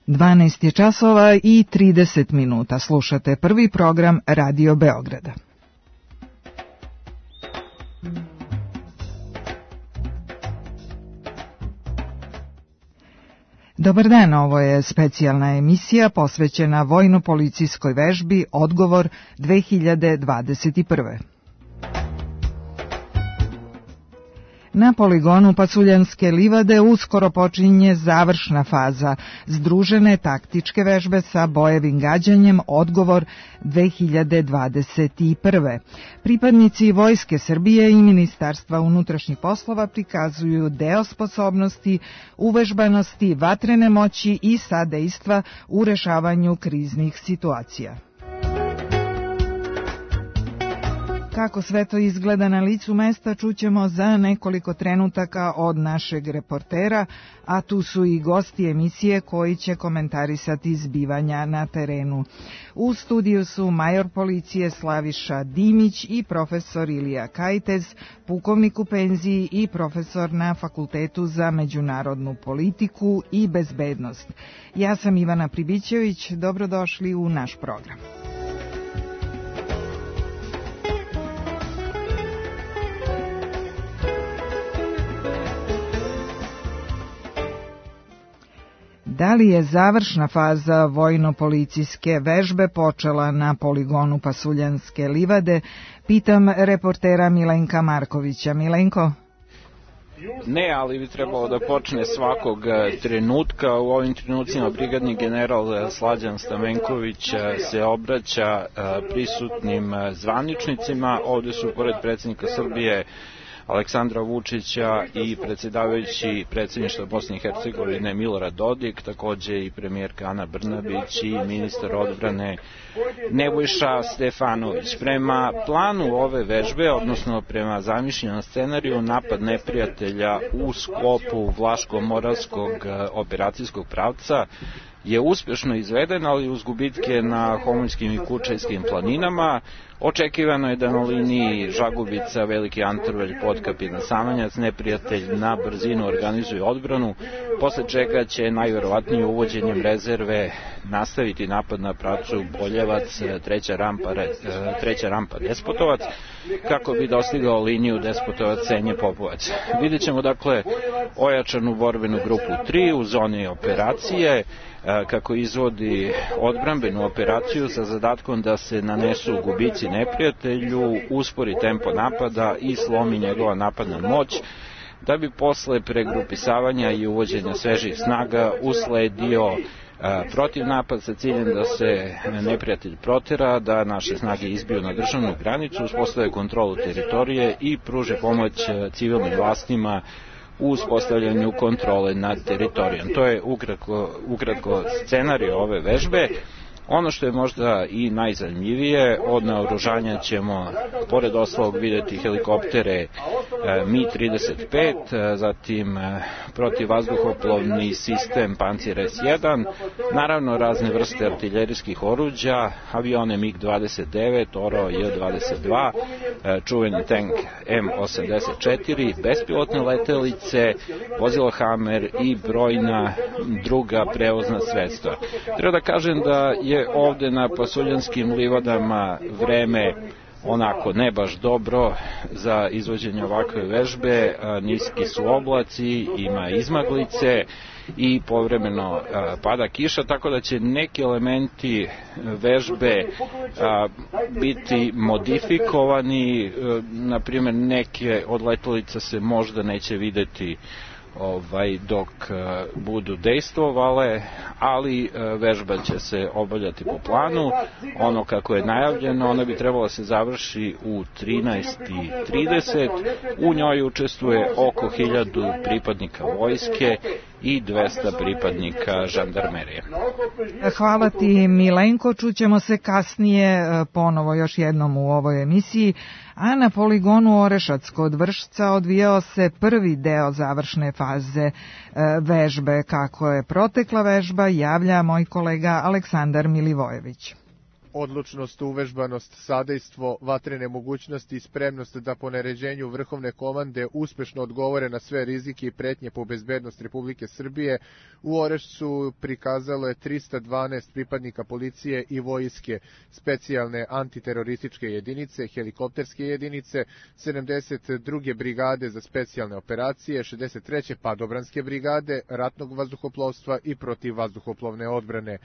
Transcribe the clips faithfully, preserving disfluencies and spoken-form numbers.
dvanaest je časova i trideset minuta. Slušate prvi program Radio Beograda. Dobar dan, ovo je specijalna emisija posvećena vojno-policijskoj vežbi Odgovor dve hiljade dvadeset prve. Na poligonu Pasuljanske livade uskoro počinje završna faza združene taktičke vežbe sa bojevim gađanjem Odgovor dve hiljade dvadeset prve. Pripadnici Vojske Srbije i Ministarstva unutrašnjih poslova prikazuju deo sposobnosti, uvežbanosti, vatrene moći i sadejstva u rešavanju kriznih situacija. Kako sve to izgleda na licu mesta čućemo za nekoliko trenutaka od našeg reportera, a tu su i gosti emisije koji će komentarisati zbivanja na terenu. U studiju su major policije Slaviša Dimić i profesor Ilija Kajtez, pukovnik u penziji i profesor na Fakultetu za međunarodnu politiku i bezbednost. Ja sam Ivana Pribićević, dobrodošli u naš program. Da li je završna faza vojno-policijske vežbe počela na poligonu Pasuljanske livade? Pitam reportera Milenka Markovića. Milenko? Ne, ali bi trebalo da počne svakog trenutka. U ovim trenucima brigadni general Slađan Stamenković se obraća prisutnim zvaničnicima. Ovde su pored predsjednika Srbije Aleksandra Vučića i predsjedavajući predsjedništva Bosne i Hercegovine Milorad Dodik, takođe i premijerka Ana Brnabić i ministar odbrane Nebojša Stefanović. Prema planu ove vežbe, odnosno prema zamišljenom scenariju, napad neprijatelja u sklopu Vlaško-Moravskog operacijskog pravca je uspješno izveden, ali uz gubitke na Homoljskim i Kučajskim planinama. Očekivano je da na liniji Žagubica, Veliki Antrvelj, Potkapina, Samanjac neprijatelj na brzinu organizuje odbranu, posle čega će najverovatnije uvođenjem rezerve nastaviti napad na pravcu Boljevac, treća rampa, treća rampa Despotovac, kako bi dostigao liniju Despotovac-Senje-Popovac. Vidjet ćemo dakle ojačanu borbenu grupu tri u zoni operacije, kako izvodi odbrambenu operaciju sa zadatkom da se nanesu gubici neprijatelju, uspori tempo napada i slomi njegova napadna moć, da bi posle pregrupisavanja i uvođenja svežih snaga usledio protiv napad sa ciljem da se neprijatelj protera, da naše snage izbiju na državnu granicu, uspostave kontrolu teritorije i pruže pomoć civilnim vlastima u uspostavljanju kontrole nad teritorijom. To je ukratko, ukratko scenarij ove vežbe. Ono što je možda i najzanimljivije, od naoružanja ćemo pored ostalog vidjeti helikoptere Mi trideset pet, zatim protivvazduhoplovni sistem Pancir es jedan, naravno razne vrste artiljerijskih oruđa, avione mig dvadeset devet, Oro J dvadeset dva, čuveni tank M osamdeset četiri, bespilotne letelice, vozilo Hammer i brojna druga prevozna sredstva. Treba da kažem da je ovde na Pasuljanskim livadama vreme onako ne baš dobro za izvođenje ovakve vežbe, niski su oblaci, ima izmaglice i povremeno pada kiša, tako da će neki elementi vežbe biti modifikovani, na primjer neke od letelica se možda neće videti Ovaj, dok uh, budu dejstvovale, ali uh, vežba će se obavljati po planu. Ono kako je najavljeno, ona bi trebalo da se završi u trinaest i trideset. U njoj učestvuje oko hiljadu pripadnika vojske i dvesta pripadnika žandarmerije. Hvala ti, Milenko, čućemo se kasnije ponovo još jednom u ovoj emisiji. A na poligonu Orešac kod Vršca odvijao se prvi deo završne faze vežbe. Kako je protekla vežba, javlja moj kolega Aleksandar Milivojević. Odlučnost, uvežbanost, sadejstvo, vatrene mogućnosti i spremnost da po naređenju vrhovne komande uspešno odgovore na sve rizike i pretnje po bezbednost Republike Srbije u Orešću prikazalo je trista dvanaest pripadnika policije i vojske, specijalne antiterorističke jedinice, helikopterske jedinice, sedamdeset druge brigade za specijalne operacije, šezdeset treće padobranske brigade, ratnog vazduhoplovstva i protivvazduhoplovne odbrane.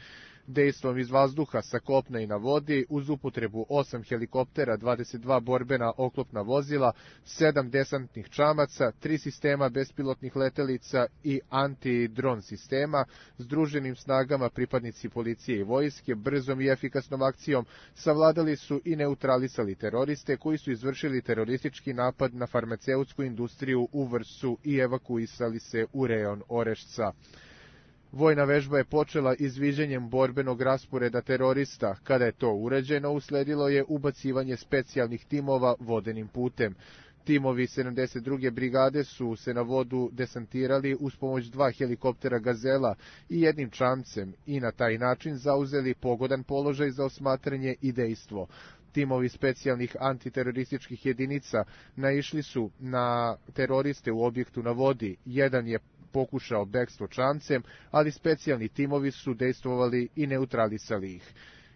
Dejstvom iz vazduha, sa kopna i na vodi, uz upotrebu osam helikoptera, dvadeset dva borbena oklopna vozila, sedam desantnih čamaca, tri sistema bespilotnih letelica i antidron sistema, združenim snagama pripadnici policije i vojske, brzom i efikasnom akcijom savladali su i neutralisali teroriste koji su izvršili teroristički napad na farmaceutsku industriju u Vršcu i evakuisali se u rejon Orešca. Vojna vežba je počela izviđanjem borbenog rasporeda terorista. Kada je to urađeno, usledilo je ubacivanje specijalnih timova vodenim putem. Timovi sedamdeset druge brigade su se na vodu desantirali uz pomoć dva helikoptera Gazela i jednim čamcem i na taj način zauzeli pogodan položaj za osmatranje i dejstvo. Timovi specijalnih antiterorističkih jedinica naišli su na teroriste u objektu na vodi. Jedan je pokušao bekstvo čamcem, ali specijalni timovi su dejstvovali i neutralisali ih.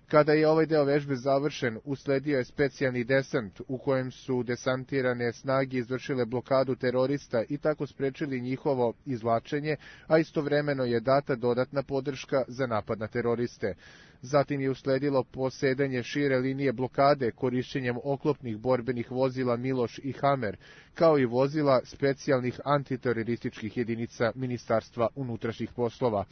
Kada je ovaj deo vežbe završen, usledio je specijalni desant u kojem su desantirane snage izvršile blokadu terorista i tako sprečili njihovo izvlačenje, a istovremeno je data dodatna podrška za napad na teroriste. Zatim je usledilo posedanje šire linije blokade korišćenjem oklopnih borbenih vozila Miloš i Hamer, kao i vozila specijalnih antiterorističkih jedinica Ministarstva unutrašnjih poslova.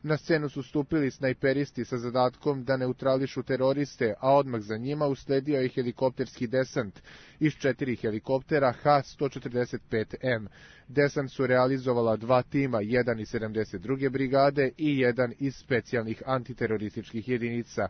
Na scenu su stupili snajperisti sa zadatkom da neutrališu teroriste, a odmah za njima usledio je helikopterski desant iz četiri helikoptera H sto četrdeset pet M. Desant su realizovala dva tima, jedan iz sedamdeset druge brigade i jedan iz specijalnih antiterorističkih jedinica.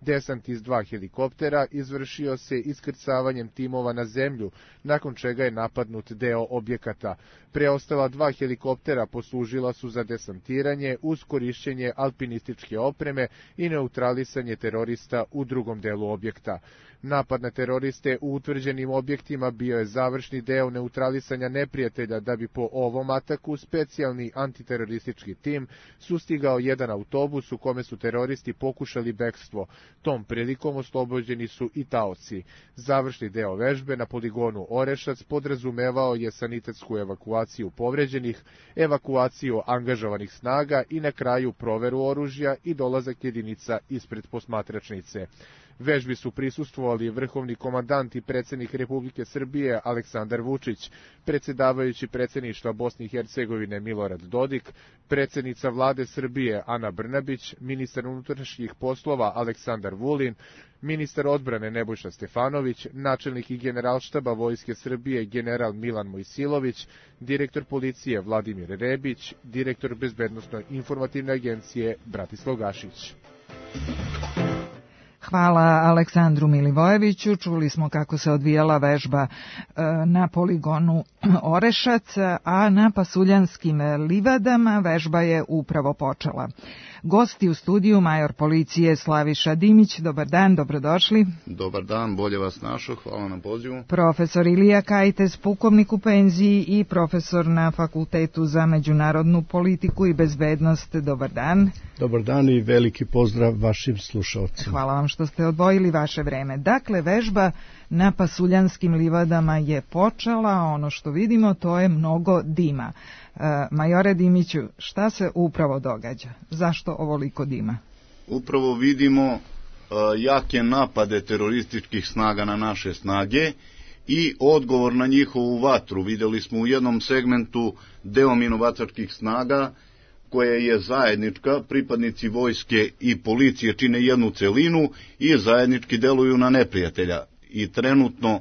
Desant iz dva helikoptera izvršio se iskrcavanjem timova na zemlju, nakon čega je napadnut deo objekata. Preostala dva helikoptera poslužila su za desantiranje uz korišćenje alpinističke opreme i neutralisanje terorista u drugom delu objekta. Napad na teroriste u utvrđenim objektima bio je završni deo neutralisanja neprijatelja, da bi po ovom ataku specijalni antiteroristički tim sustigao jedan autobus u kome su teroristi pokušali bekstvo. Tom prilikom oslobođeni su i taoci. Završni deo vežbe na poligonu Orešac podrazumevao je sanitetsku evakuaciju povređenih, evakuaciju angažovanih snaga i na kraju proveru oružja i dolazak jedinica ispred posmatračnice. Vežbi su prisustvovali vrhovni komandant i predsjednik Republike Srbije Aleksandar Vučić, predsjedavajući predsjedništva Bosne i Hercegovine Milorad Dodik, predsjednica vlade Srbije Ana Brnabić, ministar unutrašnjih poslova Aleksandar Vulin, ministar odbrane Nebojša Stefanović, načelnik i generalštaba Vojske Srbije general Milan Mojsilović, direktor policije Vladimir Rebić, direktor bezbednosno-informativne agencije Bratislav Gašić. Hvala Aleksandru Milivojeviću. Čuli smo kako se odvijala vežba na poligonu Orešac, a na Pasuljanskim livadama vežba je upravo počela. Gosti u studiju major policije Slaviša Dimić. Dobar dan, dobrodošli. Dobar dan, bolje vas našao, hvala na pozivu. Profesor Ilija Kajtes, pukovnik u penziji i profesor na Fakultetu za međunarodnu politiku i bezbednost. Dobar dan. Dobar dan i veliki pozdrav vašim slušalcima. Hvala vam što ste odvojili vaše vreme. Dakle, vežba na Pasuljanskim livadama je počela, ono što vidimo to je mnogo dima. E, majore Dimiću, šta se upravo događa? Zašto ovoliko dima? Upravo vidimo uh, jake napade terorističkih snaga na naše snage i odgovor na njihovu vatru. Vidjeli smo u jednom segmentu deo minobacačkih snaga koja je zajednička, pripadnici vojske i policije čine jednu celinu i zajednički deluju na neprijatelja. I trenutno,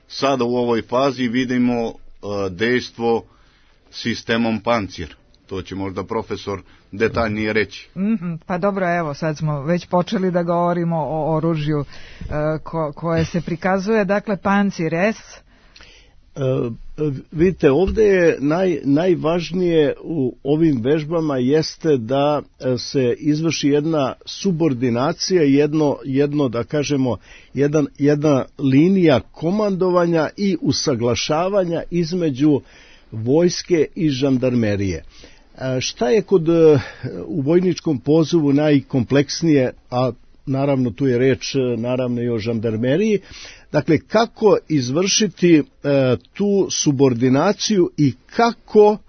sada u ovoj fazi vidimo uh, dejstvo sistemom Pancir. To će možda profesor detaljnije reći. Mm-hmm, pa dobro, evo, sad smo već počeli da govorimo o oružju uh, ko, koje se prikazuje. Dakle, Pancir S. Vidite, ovdje je naj, najvažnije u ovim vežbama jeste da se izvrši jedna subordinacija, jedno, jedno da kažemo, jedan, jedna linija komandovanja i usaglašavanja između vojske i žandarmerije. Šta je kod u vojničkom pozivu najkompleksnije, a naravno tu je reč naravno i o žandarmeriji, dakle kako izvršiti e, tu subordinaciju i kako e,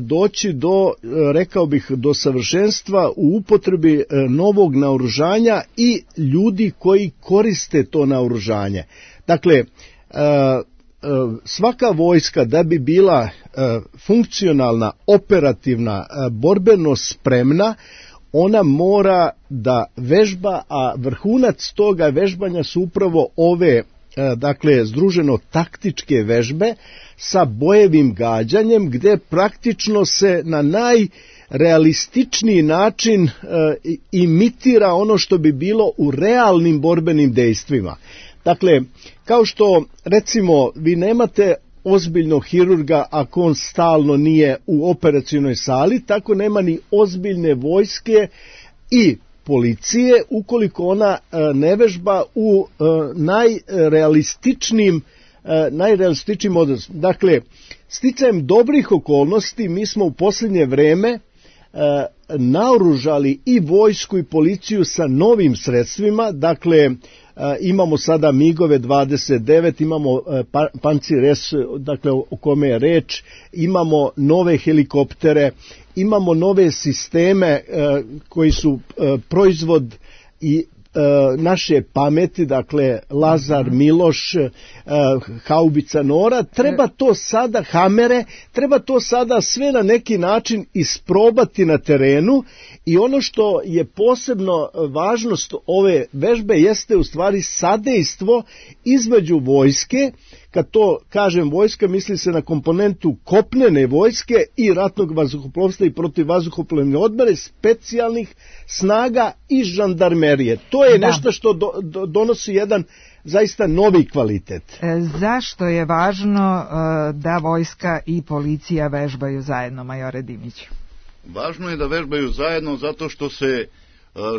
doći do, rekao bih, do savršenstva u upotrebi e, novog naoružanja i ljudi koji koriste to naoružanje. Dakle, e, svaka vojska da bi bila funkcionalna, operativna, borbeno spremna, ona mora da vežba, a vrhunac toga vežbanja su upravo ove, dakle, združeno taktičke vežbe sa bojevim gađanjem, gde praktično se na najrealističniji način imitira ono što bi bilo u realnim borbenim dejstvima. Dakle, kao što, recimo, vi nemate ozbiljnog hirurga ako on stalno nije u operacionoj sali, tako nema ni ozbiljne vojske i policije ukoliko ona ne vežba u najrealističnijim najrealističnijim odnosima. Dakle, sticajem dobrih okolnosti mi smo u posljednje vreme naoružali i vojsku i policiju sa novim sredstvima, dakle imamo sada migove dvadeset devet, imamo Pancir S, dakle o kome je reč, imamo nove helikoptere, imamo nove sisteme koji su proizvod i naše pameti, dakle Lazar, Miloš, haubica Nora, treba to sada, Hamere, treba to sada sve na neki način isprobati na terenu i ono što je posebno važnost ove vežbe jeste u stvari sadejstvo između vojske. Kad to kažem vojska, misli se na komponentu kopnene vojske i ratnog vazduhoplovstva i protivvazduhoplovne odbrane, specijalnih snaga i žandarmerije. To je da. nešto što do, do, donosi jedan zaista novi kvalitet. E, zašto je važno e, da vojska i policija vežbaju zajedno, majore Dimiću? Važno je da vežbaju zajedno zato što se e,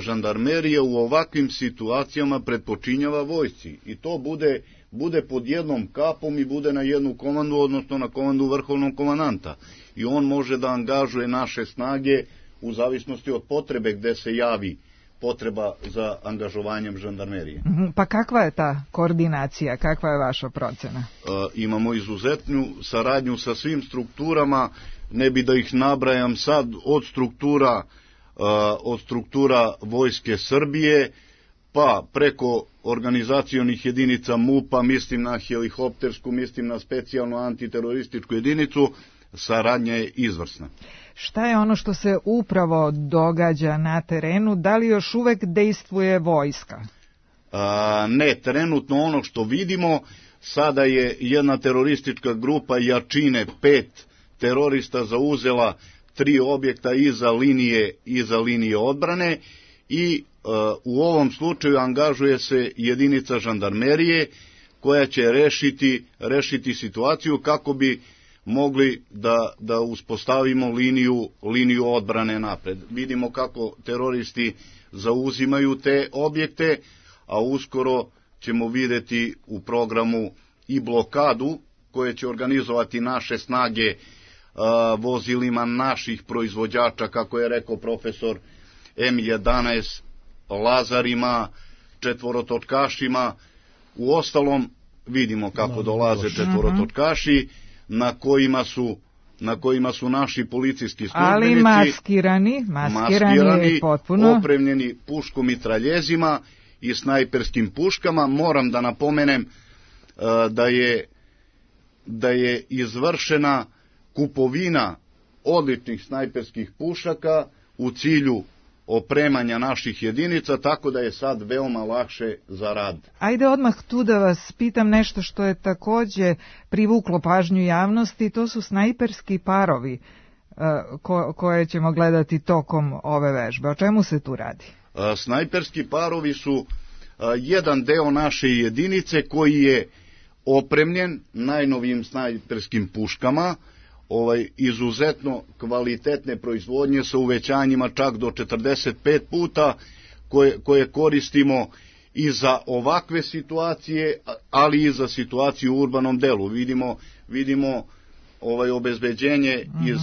žandarmerija u ovakvim situacijama predpočinjava vojsci i to bude bude pod jednom kapom i bude na jednu komandu, odnosno na komandu vrhovnog komandanta. I on može da angažuje naše snage u zavisnosti od potrebe gde se javi potreba za angažovanjem žandarmerije. Pa kakva je ta koordinacija, kakva je vaša procena? E, imamo izuzetnu saradnju sa svim strukturama, ne bi da ih nabrajam sad, od struktura, e, od struktura Vojske Srbije, pa preko organizacionih jedinica MUP-a, mislim na helikoptersku, mislim na specijalnu antiterorističku jedinicu, saradnja je izvrsna. Šta je ono što se upravo događa na terenu? Da li još uvek dejstvuje vojska? A, ne, trenutno ono što vidimo, sada je jedna teroristička grupa jačine, pet terorista zauzela tri objekta iza linije, iza linije odbrane i u ovom slučaju angažuje se jedinica žandarmerije koja će rešiti, rešiti situaciju kako bi mogli da, da uspostavimo liniju, liniju odbrane napred. Vidimo kako teroristi zauzimaju te objekte, a uskoro ćemo videti u programu i blokadu koje će organizovati naše snage a, vozilima naših proizvođača, kako je rekao profesor, M jedanaest, Lazarima, četvorotočkašima. U ostalom vidimo kako dolaze četvorotočkaši na kojima su na kojima su naši policijski službenici, ali maskirani, maskirani, maskirani potpuno opremljeni puškomitraljezima i snajperskim puškama. Moram da napomenem uh, da je da je izvršena kupovina odličnih snajperskih pušaka u cilju opremanja naših jedinica, tako da je sad veoma lakše za rad. Ajde odmah tu da vas pitam nešto što je takođe privuklo pažnju javnosti, to su snajperski parovi ko, koje ćemo gledati tokom ove vežbe. O čemu se tu radi? Snajperski parovi su jedan deo naše jedinice koji je opremljen najnovijim snajperskim puškama, ovaj izuzetno kvalitetne proizvodnje sa uvećanjima čak do četrdeset pet puta, koje, koje koristimo i za ovakve situacije, ali i za situaciju u urbanom delu. Vidimo, vidimo ovaj obezbeđenje mm-hmm. iz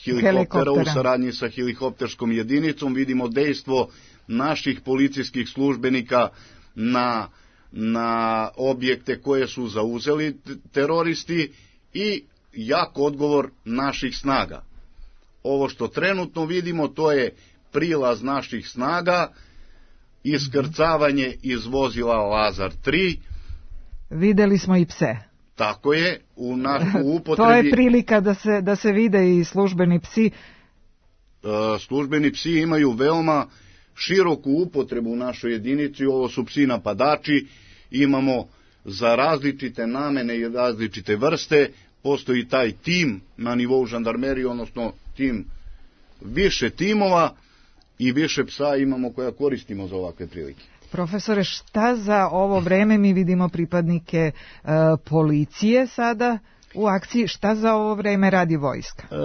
helikoptera, helikoptera u saradnji sa helikopterskom jedinicom, vidimo dejstvo naših policijskih službenika na, na objekte koje su zauzeli teroristi i jak odgovor naših snaga. Ovo što trenutno vidimo, to je prilaz naših snaga, iskrcavanje iz vozila Lazar tri. Videli smo i pse. Tako je, u, na, u upotrebi... To je prilika da se, da se vide i službeni psi. E, službeni psi imaju veoma široku upotrebu u našoj jedinici, ovo su psi napadači, imamo za različite namene i različite vrste, postoji taj tim na nivou žandarmerije, odnosno tim više timova i više psa imamo koja koristimo za ovakve prilike. Profesore, šta za ovo vreme mi vidimo pripadnike e, policije sada u akciji, šta za ovo vreme radi vojska? E,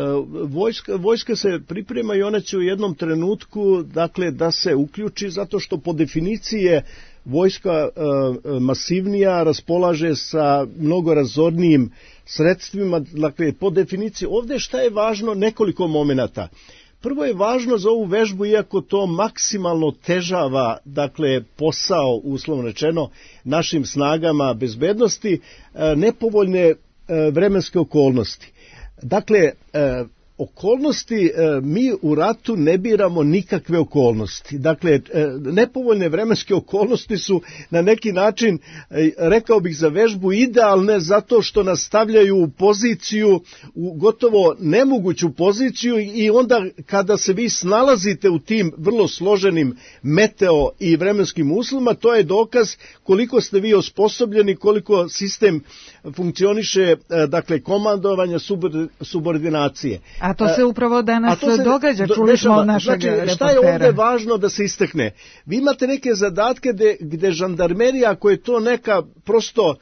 vojska? Vojska se priprema i ona će u jednom trenutku, dakle, da se uključi, zato što po definiciji je vojska e, masivnija, raspolaže sa mnogo razornijim sredstvima, dakle, po definiciji. Ovdje šta je važno? Nekoliko momenata. Prvo je važno za ovu vežbu, iako to maksimalno težava, dakle, posao, uslovno rečeno, našim snagama bezbednosti, nepovoljne vremenske okolnosti. Dakle, okolnosti, mi u ratu ne biramo nikakve okolnosti. Dakle, nepovoljne vremenske okolnosti su na neki način, rekao bih, za vežbu idealne, zato što nas stavljaju u poziciju, u gotovo nemoguću poziciju, i onda kada se vi snalazite u tim vrlo složenim meteo i vremenskim uslovima, to je dokaz koliko ste vi osposobljeni, koliko sistem funkcioniše, dakle, komandovanja, subordinacije. A to se upravo danas se događa, čuli smo od našeg znači, reportera. Šta je ovdje važno da se istakne? Vi imate neke zadatke gde, gde žandarmerija, ako je to neka prosto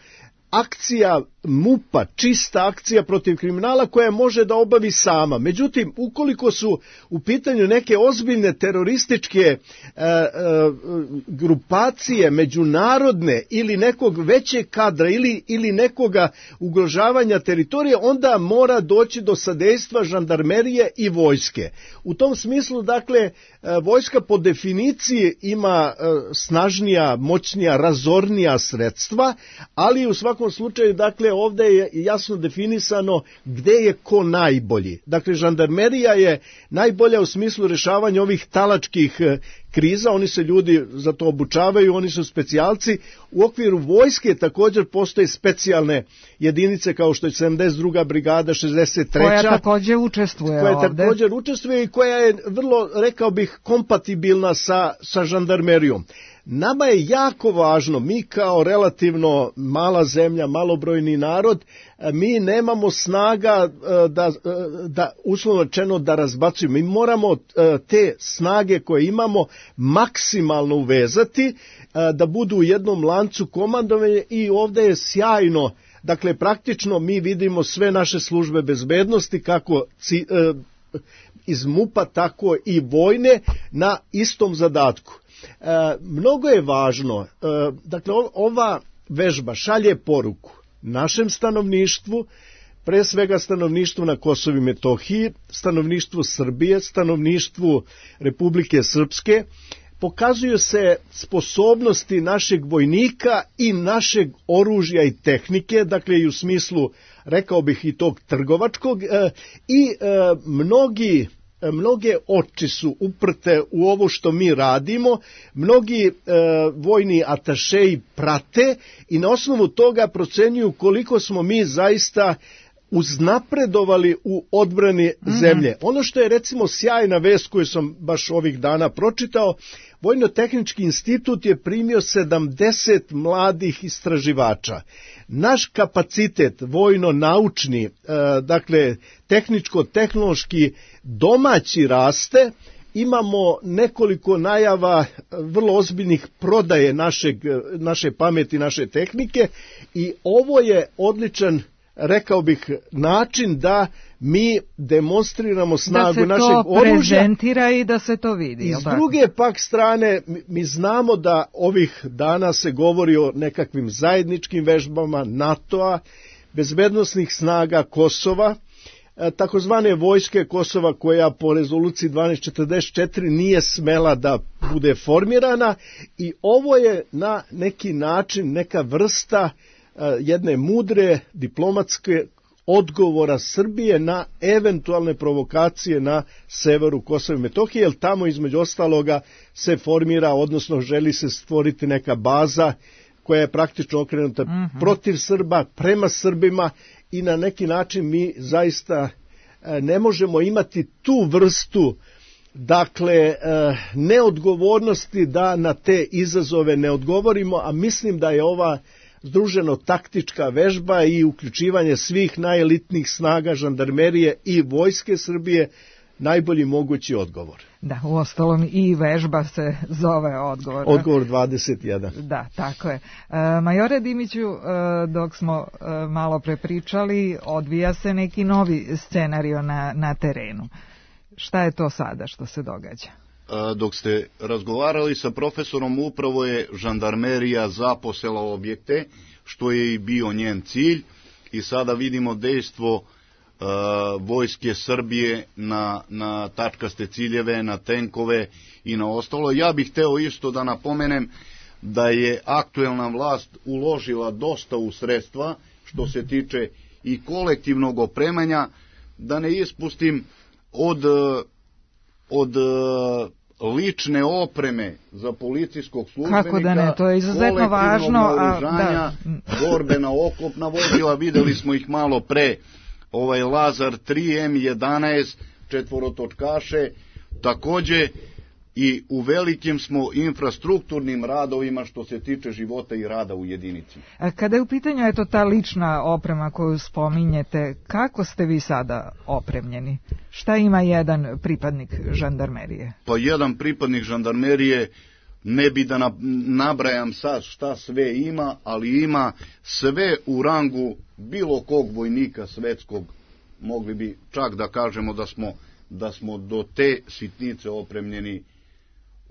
akcija MUP-a, čista akcija protiv kriminala, koja može da obavi sama. Međutim, ukoliko su u pitanju neke ozbiljne terorističke e, e, grupacije, međunarodne ili nekog većeg kadra ili, ili nekoga ugrožavanja teritorije, onda mora doći do sadejstva žandarmerije i vojske. U tom smislu, dakle, e, vojska po definiciji ima e, snažnija, moćnija, razornija sredstva, ali u svakom slučaju, dakle, ovdje je jasno definisano gde je ko najbolji. Dakle, žandarmerija je najbolja u smislu rješavanja ovih talačkih kriza, oni se ljudi za to obučavaju, oni su specijalci. U okviru vojske također postoje specijalne jedinice kao što je sedamdeset druga brigada, šezdeset treća koja također učestvuje koja ovdje. također učestvuje i koja je vrlo, rekao bih, kompatibilna sa, sa žandarmerijom. Nama je jako važno, mi kao relativno mala zemlja, malobrojni narod, mi nemamo snaga da, da uslovno rečeno da razbacujemo. Mi moramo te snage koje imamo maksimalno uvezati, da budu u jednom lancu komandovanja, i ovdje je sjajno. Dakle, praktično mi vidimo sve naše službe bezbednosti, kako iz MUP-a, tako i vojne, na istom zadatku. E, mnogo je važno, e, dakle, ova vežba šalje poruku našem stanovništvu, pre svega stanovništvu na Kosovu i Metohiji, stanovništvu Srbije, stanovništvu Republike Srpske. Pokazuju se sposobnosti našeg vojnika i našeg oružja i tehnike, dakle i u smislu, rekao bih, i tog trgovačkog, e, i e, mnogi Mnoge oči su uprte u ovo što mi radimo, mnogi e, vojni atašeji prate i na osnovu toga procenjuju koliko smo mi zaista uznapredovali u odbrani zemlje. Mm-hmm. Ono što je, recimo, sjajna vest koju sam baš ovih dana pročitao, Vojno-tehnički institut je primio sedamdeset mladih istraživača. Naš kapacitet vojno-naučni, e, dakle tehničko-tehnološki domaći raste, imamo nekoliko najava vrlo ozbiljnih prodaje našeg, naše pameti, naše tehnike i ovo je odličan, rekao bih, način da mi demonstriramo snagu našeg oružja. Da se to prezentira i da se to vidi. I s druge pak strane, mi znamo da ovih dana se govori o nekakvim zajedničkim vežbama NATO-a, bezbednosnih snaga Kosova, takozvane vojske Kosova koja po rezoluciji dvanaest četrdeset četiri nije smela da bude formirana i ovo je na neki način neka vrsta jedne mudre diplomatske odgovora Srbije na eventualne provokacije na severu Kosova i Metohije, jer tamo između ostaloga se formira, odnosno želi se stvoriti neka baza koja je praktično okrenuta mm-hmm. protiv Srba, prema Srbima i na neki način mi zaista ne možemo imati tu vrstu, dakle, neodgovornosti da na te izazove ne odgovorimo, a mislim da je ova združeno taktička vežba i uključivanje svih najelitnijih snaga žandarmerije i vojske Srbije najbolji mogući odgovor. Da, uostalom i vežba se zove odgovor. Odgovor dvadeset jedan. Da, tako je. E, majore Dimiću, e, dok smo e, malo prepričali, odvija se neki novi scenario na, na terenu. Šta je to sada što se događa? Dok ste razgovarali sa profesorom, upravo je žandarmerija zaposela objekte, što je i bio njen cilj, i sada vidimo dejstvo uh, vojske Srbije na, na tačkaste ciljeve, na tenkove i na ostalo. Ja bih hteo isto da napomenem da je aktuelna vlast uložila dosta u sredstva što se tiče i kolektivnog opremanja, da ne ispustim od, od lične opreme za policijskog službenika. Kako da ne, to je izuzetno važno. A, da. Borbena oklopna vozila, videli smo ih malo pre, ovaj Lazar tri M jedanaest, četvorotočkaše, takođe i u velikim smo infrastrukturnim radovima što se tiče života i rada u jedinici. Kada je u pitanju eto ta lična oprema koju spominjete, kako ste vi sada opremljeni? Šta ima jedan pripadnik žandarmerije? Pa jedan pripadnik žandarmerije, ne bi da nabrajam sad šta sve ima, ali ima sve u rangu bilo kog vojnika svetskog. Mogli bi čak da kažemo da smo, da smo do te sitnice opremljeni.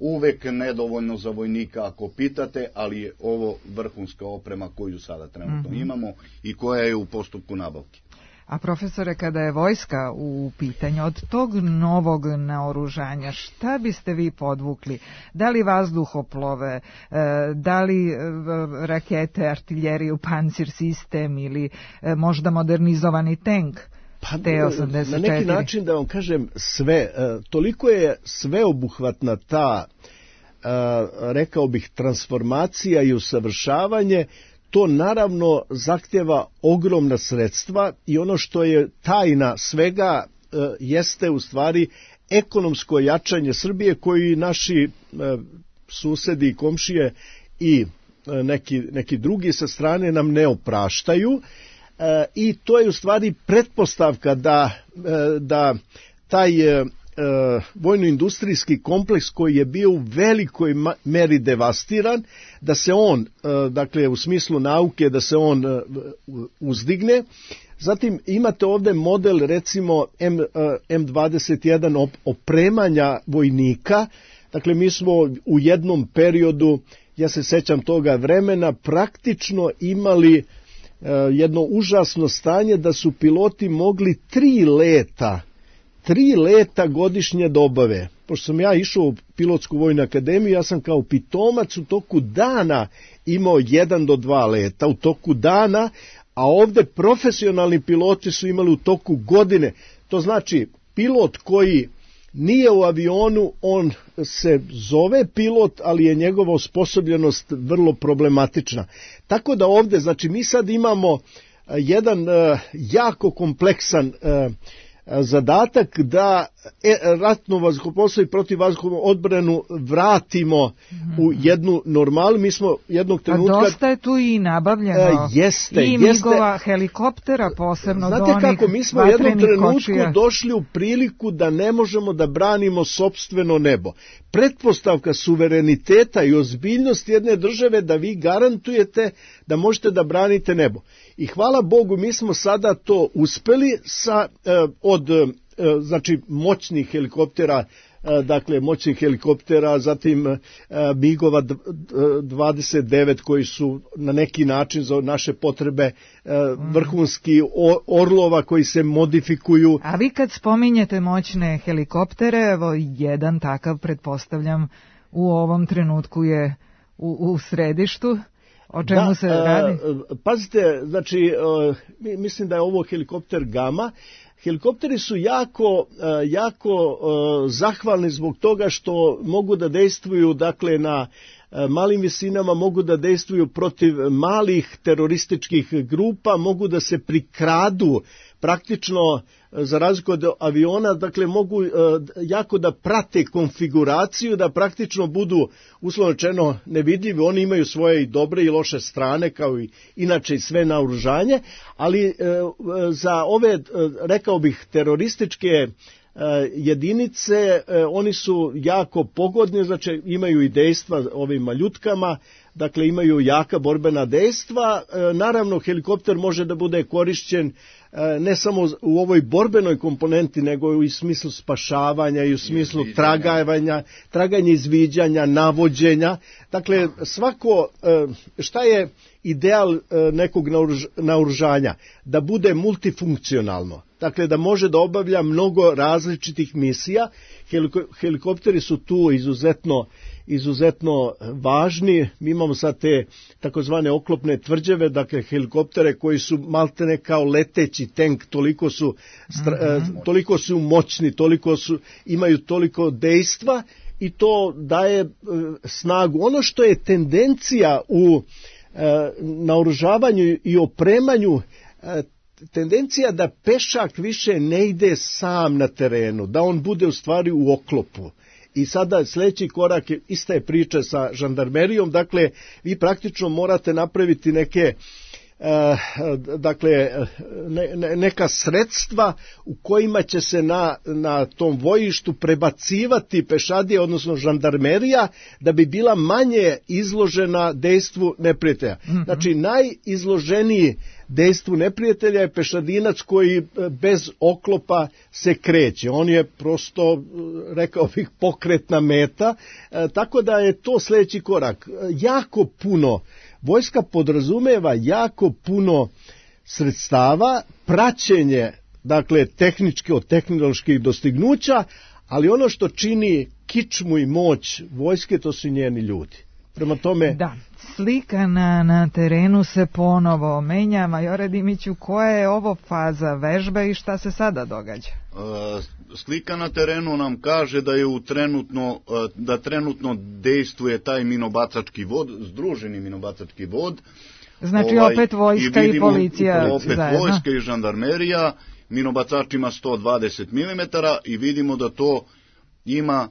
Uvek nedovoljno za vojnika ako pitate, ali je ovo vrhunska oprema koju sada trenutno mm-hmm. imamo i koja je u postupku nabavke. A profesore, kada je vojska u pitanju, od tog novog naoružanja, šta biste vi podvukli? Da li vazduhoplove, da li rakete, artiljeriju, pancir sistem ili možda modernizovani tank? Pa, na neki način da vam kažem sve, toliko je sveobuhvatna ta, rekao bih, transformacija i usavršavanje, to naravno zahtjeva ogromna sredstva i ono što je tajna svega jeste u stvari ekonomsko jačanje Srbije koji naši susedi i komšije i neki, neki drugi sa strane nam ne opraštaju. E, i to je u stvari pretpostavka da, e, da taj e, vojno-industrijski kompleks koji je bio u velikoj meri devastiran, da se on, e, dakle u smislu nauke, da se on e, uzdigne. Zatim imate ovdje model recimo M, M dvadeset jedan op, opremanja vojnika. Dakle mi smo u jednom periodu, ja se sećam toga vremena, praktično imali jedno užasno stanje da su piloti mogli tri leta, tri leta godišnje da obave. Pošto sam ja išao u pilotsku vojnu akademiju, ja sam kao pitomac u toku dana imao jedan do dva leta u toku dana, a ovdje profesionalni piloti su imali u toku godine. To znači pilot koji nije u avionu, on se zove pilot, ali je njegova osposobljenost vrlo problematična. Tako da ovdje, znači mi sad imamo jedan uh, jako kompleksan uh, zadatak da ratno vazduhoplovstvo i protivvazdušnu odbranu vratimo u jednu normalu. Mi smo jednog trenutka... A dosta je tu i nabavljeno. Jeste, I jeste. migova helikoptera, posebno Znate do onih kako, mi smo u jednom trenutku kočija. došli u priliku da ne možemo da branimo sopstveno nebo. Pretpostavka suvereniteta i ozbiljnosti jedne države da vi garantujete da možete da branite nebo. I hvala Bogu, mi smo sada to uspeli sa, od znači moćnih helikoptera, dakle moćnih helikoptera, zatim migova dvadeset devet koji su na neki način za naše potrebe vrhunski, orlova koji se modifikuju. A vi kad spominjete moćne helikoptere, evo jedan takav pretpostavljam u ovom trenutku je u, u središtu. O čemu da, se radi? Pazite, znači mislim da je ovo helikopter Gama. Helikopteri su jako, jako zahvalni zbog toga što mogu da dejstvuju, dakle, na malim visinama, mogu da dejstvuju protiv malih terorističkih grupa, mogu da se prikradu praktično, za razliku od aviona, dakle mogu jako da prate konfiguraciju, da praktično budu uslovno rečeno nevidljivi. Oni imaju svoje i dobre i loše strane, kao i inače i sve naoružanje, ali za ove, rekao bih, terorističke jedinice, oni su jako pogodni, znači imaju i dejstva ovim maljutkama, dakle imaju jaka borbena dejstva. Naravno, helikopter može da bude korišćen ne samo u ovoj borbenoj komponenti, nego i u smislu spašavanja i u smislu traganja, traganja, izviđanja, navođenja. Dakle, svako, šta je ideal nekog naoružanja? Da bude multifunkcionalno. Dakle, da može da obavlja mnogo različitih misija. Helikopteri su tu izuzetno izuzetno važni. Mi imamo sad te takozvane oklopne tvrđave, dakle helikoptere koji su maltene kao leteći tank, toliko su, mm-hmm. toliko su moćni, toliko su, imaju toliko dejstva i to daje snagu. Ono što je tendencija u naoružavanju i opremanju, tendencija da pešak više ne ide sam na terenu, da on bude u stvari u oklopu. I sada sljedeći korak je, ista je priča sa žandarmerijom, dakle vi praktično morate napraviti neke dakle ne, neka sredstva u kojima će se na, na tom vojištu prebacivati pešadije, odnosno žandarmerija, da bi bila manje izložena dejstvu neprijatelja. Mm-hmm. Znači najizloženiji dejstvu neprijatelja je pešadinac koji bez oklopa se kreće. On je prosto, rekao bih, pokretna meta, e, tako da je to sljedeći korak. Jako puno vojska podrazumeva jako puno sredstava, praćenje, dakle, tehničke od tehnoloških dostignuća, ali ono što čini kičmu i moć vojske, to su njeni ljudi. Prema tome... Da, slika na, na terenu se ponovo menja. Majore Dimiću, koja je ovo faza vežbe i šta se sada događa? E, slika na terenu nam kaže da je u trenutno, da trenutno dejstvuje taj minobacački vod, združeni minobacački vod. Znači ovaj, opet vojska i, vidimo, i policija opet zajedno. Vojska i žandarmerija, minobacačima sto dvadeset milimetara i vidimo da to ima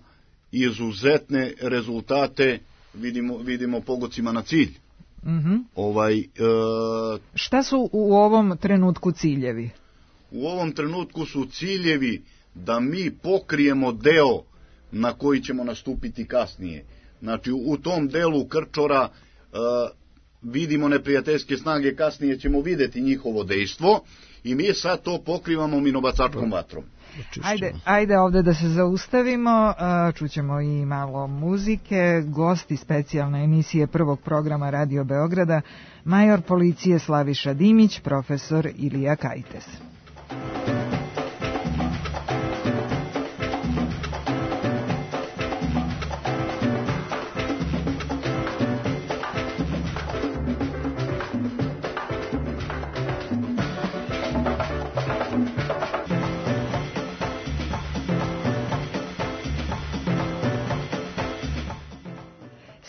izuzetne rezultate. Vidimo, vidimo pogodcima na cilj. Mm-hmm. Ovaj, e, Šta su u ovom trenutku ciljevi? U ovom trenutku su ciljevi da mi pokrijemo deo na koji ćemo nastupiti kasnije. Znači u tom delu krčora e, vidimo neprijateljske snage, kasnije ćemo vidjeti njihovo dejstvo i mi sad to pokrivamo minobacačkom vatrom. Ajde, ajde ovdje da se zaustavimo, čućemo i malo muzike. Gosti specijalne emisije prvog programa Radio Beograda, major policije Slaviša Dimić, profesor Ilija Kajtes.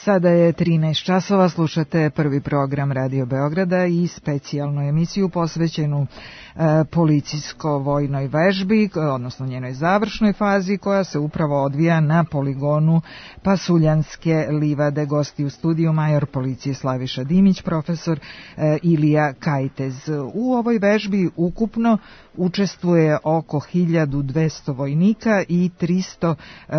Sada je trinaest časova, slušate prvi program Radio Beograda i specijalnu emisiju posvećenu e, policijsko-vojnoj vežbi, odnosno njenoj završnoj fazi koja se upravo odvija na poligonu Pasuljanske livade. Gosti u studiju major policije Slaviša Dimić, profesor e, Ilija Kajtez. U ovoj vežbi ukupno učestvuje oko hiljadu dvesta vojnika i tristo e,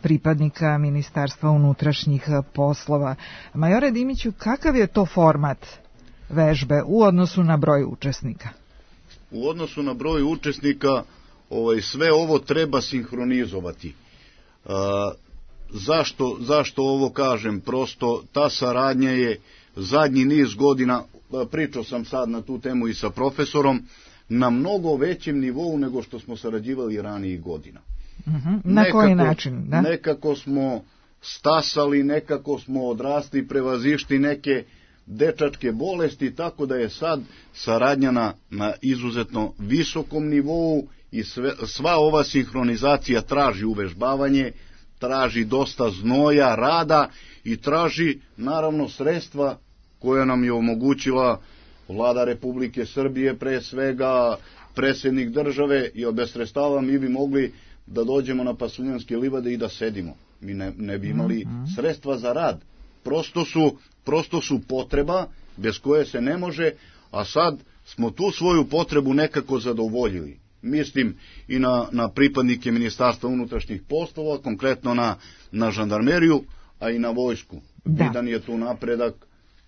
pripadnika Ministarstva unutrašnjih poslova. Majore Dimiću, kakav je to format vežbe u odnosu na broj učesnika? U odnosu na broj učesnika ovaj, sve ovo treba sinhronizovati. E, zašto, zašto ovo kažem? Prosto ta saradnja je zadnji niz godina, pričao sam sad na tu temu i sa profesorom, na mnogo većem nivou nego što smo sarađivali ranijih godina. Uh-huh. Na nekako, koji način? Da? Nekako smo stasali, nekako smo odrasli, prevazišli neke dečačke bolesti, tako da je sad saradnja na, na izuzetno visokom nivou i sve, sva ova sinhronizacija traži uvežbavanje, traži dosta znoja, rada i traži naravno sredstva koja nam je omogućila Vlada Republike Srbije, pre svega predsjednik države, i bez sredstava mi bi mogli da dođemo na Pasuljanske livade i da sedimo. Mi ne, ne bi imali sredstva za rad. Prosto su, prosto su potreba bez koje se ne može, a sad smo tu svoju potrebu nekako zadovoljili. Mislim i na, na pripadnike Ministarstva unutrašnjih poslova, konkretno na, na žandarmeriju, a i na vojsku. Da. Vidan je tu napredak,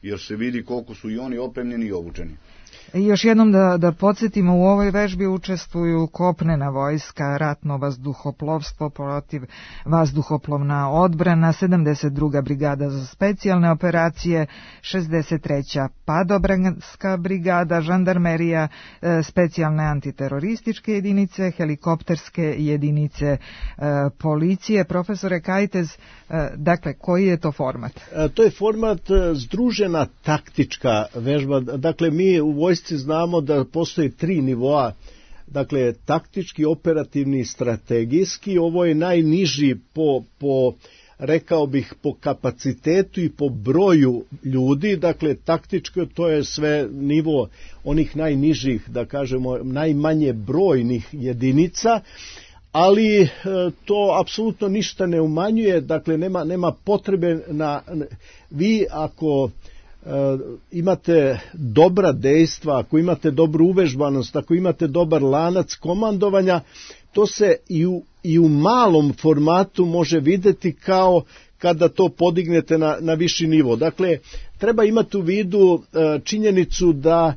jer se vidi koliko su i oni opremljeni i obučeni. Još jednom da, da podsjetimo, u ovoj vežbi učestvuju kopnena vojska, ratno vazduhoplovstvo, protiv vazduhoplovna odbrana, sedamdeset druga brigada za specijalne operacije, šezdeset treća padobranska brigada, žandarmerija, specijalne antiterorističke jedinice, helikopterske jedinice policije. Profesore Kajtez, dakle, koji je to format? To je format združena taktička vežba. Dakle, mi u vojsci znamo da postoji tri nivoa, dakle taktički, operativni i strategijski. Ovo je najniži po, po, rekao bih, po kapacitetu i po broju ljudi. Dakle, taktičko to je sve nivo onih najnižih, da kažemo, najmanje brojnih jedinica, ali e, to apsolutno ništa ne umanjuje, dakle nema, nema potrebe na, vi ako Uh, imate dobra dejstva, ako imate dobru uvežbanost, ako imate dobar lanac komandovanja, to se i u, i u malom formatu može videti kao kada to podignete na, na viši nivo. Dakle, treba imati u vidu uh, činjenicu da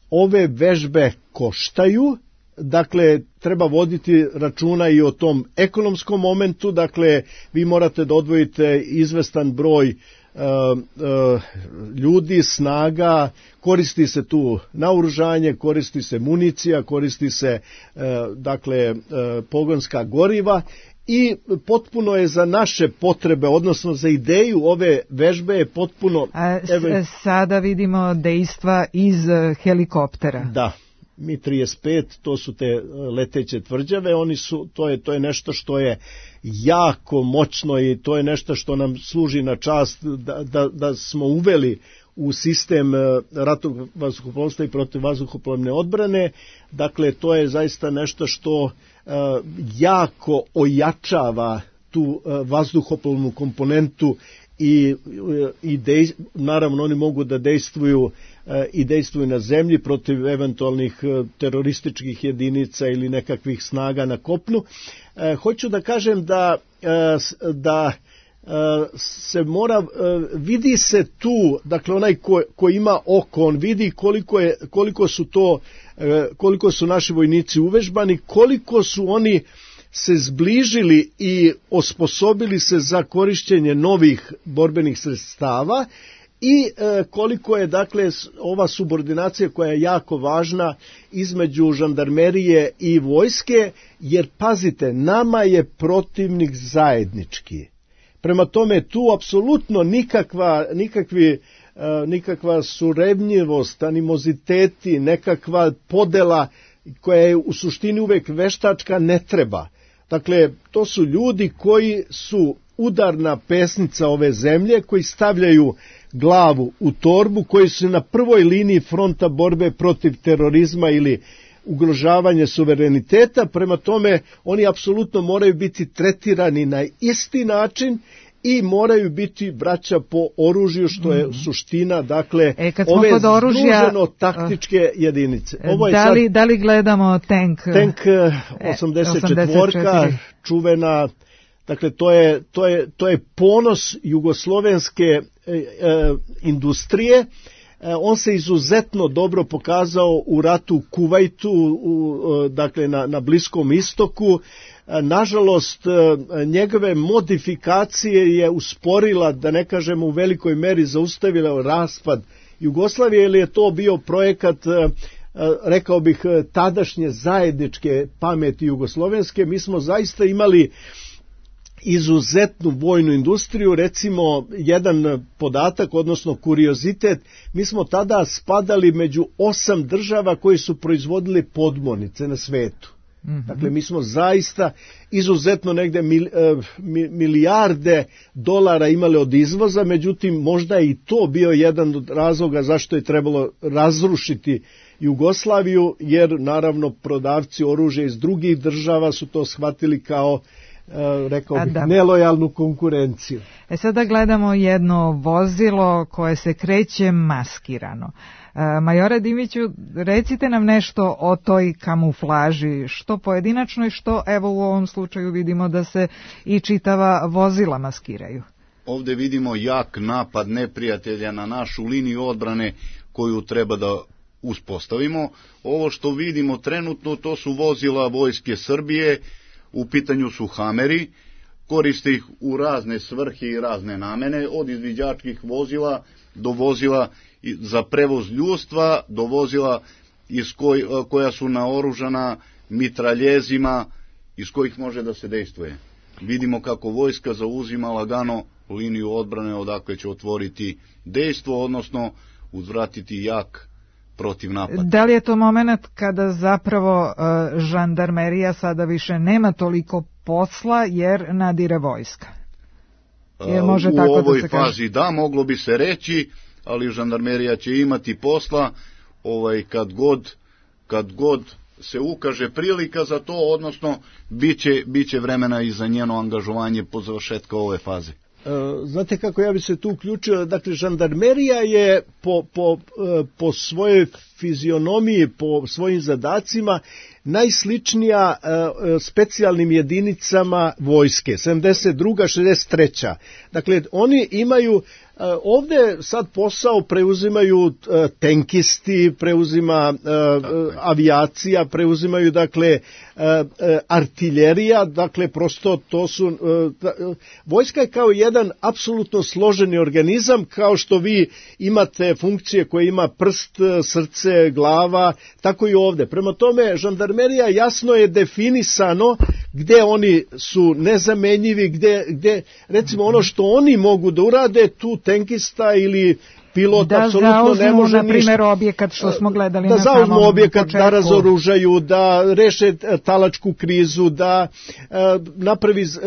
ove vežbe koštaju, dakle, treba voditi računa i o tom ekonomskom momentu, dakle, vi morate da odvojite izvestan broj Uh, uh, ljudi, snaga, koristi se tu naoružanje, koristi se municija, koristi se uh, dakle uh, pogonska goriva i potpuno je za naše potrebe, odnosno za ideju ove vežbe je potpuno... A, evo, sada vidimo dejstva iz helikoptera. Da. Mi trideset pet, to su te leteće tvrđave, oni su, to je, to je nešto što je jako moćno i to je nešto što nam služi na čast da, da, da smo uveli u sistem ratnog vazduhoplovstva i protivvazduhoplovne odbrane. Dakle, to je zaista nešto što uh, jako ojačava tu uh, vazduhoplovnu komponentu i, i dej, naravno oni mogu da dejstvuju i dejstvuju na zemlji protiv eventualnih terorističkih jedinica ili nekakvih snaga na kopnu. E, hoću da kažem da, da se mora, vidi se tu, dakle onaj ko, ko ima oko, on vidi koliko, je, koliko su to, koliko su naši vojnici uvežbani, koliko su oni se zbližili i osposobili se za korišćenje novih borbenih sredstava i e, koliko je dakle ova subordinacija koja je jako važna između žandarmerije i vojske, jer pazite, nama je protivnik zajednički. Prema tome tu apsolutno nikakva, nikakvi, e, nikakva surevnjivost, animoziteti, nekakva podela koja je u suštini uvek veštačka ne treba. Dakle, to su ljudi koji su udarna pesnica ove zemlje, koji stavljaju glavu u torbu, koji su na prvoj liniji fronta borbe protiv terorizma ili ugrožavanje suvereniteta. Prema tome, oni apsolutno moraju biti tretirani na isti način i moraju biti braća po oružju, što je suština, dakle, e, ove oružja, združeno taktičke jedinice. Ovo je da, li, sad, da li gledamo tank? Tank osamdeset četiri, čuvena, dakle, to je, to je, to je ponos jugoslovenske e, e, industrije. E, on se izuzetno dobro pokazao u ratu u Kuvajtu, u, dakle, na, na Bliskom istoku. Nažalost, njegove modifikacije je usporila, da ne kažemo u velikoj meri zaustavila raspad Jugoslavije, ili je to bio projekat, rekao bih, tadašnje zajedničke pameti jugoslovenske. Mi smo zaista imali izuzetnu vojnu industriju. Recimo, jedan podatak, odnosno kuriozitet, mi smo tada spadali među osam država koji su proizvodili podmornice na svetu. Mm-hmm. Dakle, mi smo zaista izuzetno negde mil, milijarde dolara imali od izvoza, međutim možda i to bio jedan od razloga zašto je trebalo razrušiti Jugoslaviju, jer naravno prodavci oružja iz drugih država su to shvatili kao, rekao bih, nelojalnu konkurenciju. E sada gledamo jedno vozilo koje se kreće maskirano. Majore Dimiću, recite nam nešto o toj kamuflaži, što pojedinačno i što evo u ovom slučaju vidimo da se i čitava vozila maskiraju. Ovdje vidimo jak napad neprijatelja na našu liniju odbrane koju treba da uspostavimo. Ovo što vidimo trenutno, to su vozila Vojske Srbije, u pitanju su Hameri, koriste ih u razne svrhe i razne namene, od izviđačkih vozila do vozila za prevoz ljudstva, do vozila iz koj, koja su naoružana mitraljezima iz kojih može da se dejstvuje. Vidimo kako vojska zauzima lagano liniju odbrane odakle će otvoriti dejstvo, odnosno uzvratiti jak protiv napada. Da li je to moment kada zapravo uh, žandarmerija sada više nema toliko posla jer nadire vojska? Je, može u tako ovoj da se fazi kaže? Da, moglo bi se reći, ali žandarmerija će imati posla ovaj, kad, god, kad god se ukaže prilika za to, odnosno biće, biće vremena i za njeno angažovanje po završetka ove faze. Znate kako ja bi se tu uključio, dakle žandarmerija je po, po, po svojoj fizionomiji, po svojim zadacima najsličnija specijalnim jedinicama vojske, sedamdeset druga šezdeset treća. Dakle, oni imaju, ovdje sad posao preuzimaju tenkisti, preuzima avijacija, preuzimaju dakle artiljerija, dakle prosto to su, vojska je kao jedan apsolutno složeni organizam, kao što vi imate funkcije koje ima prst, srce, glava, tako i ovdje. Prema tome, žandarmerija jasno je definisano gde oni su nezamenjivi, gde, gde recimo ono što oni mogu da urade, tu tenkista ili pilot da apsolutno ne može na primjer ništa. Objekat što smo gledali da na samom zauzmu objekat, početku. Da razoružaju, da reše talačku krizu, da e, napravi z,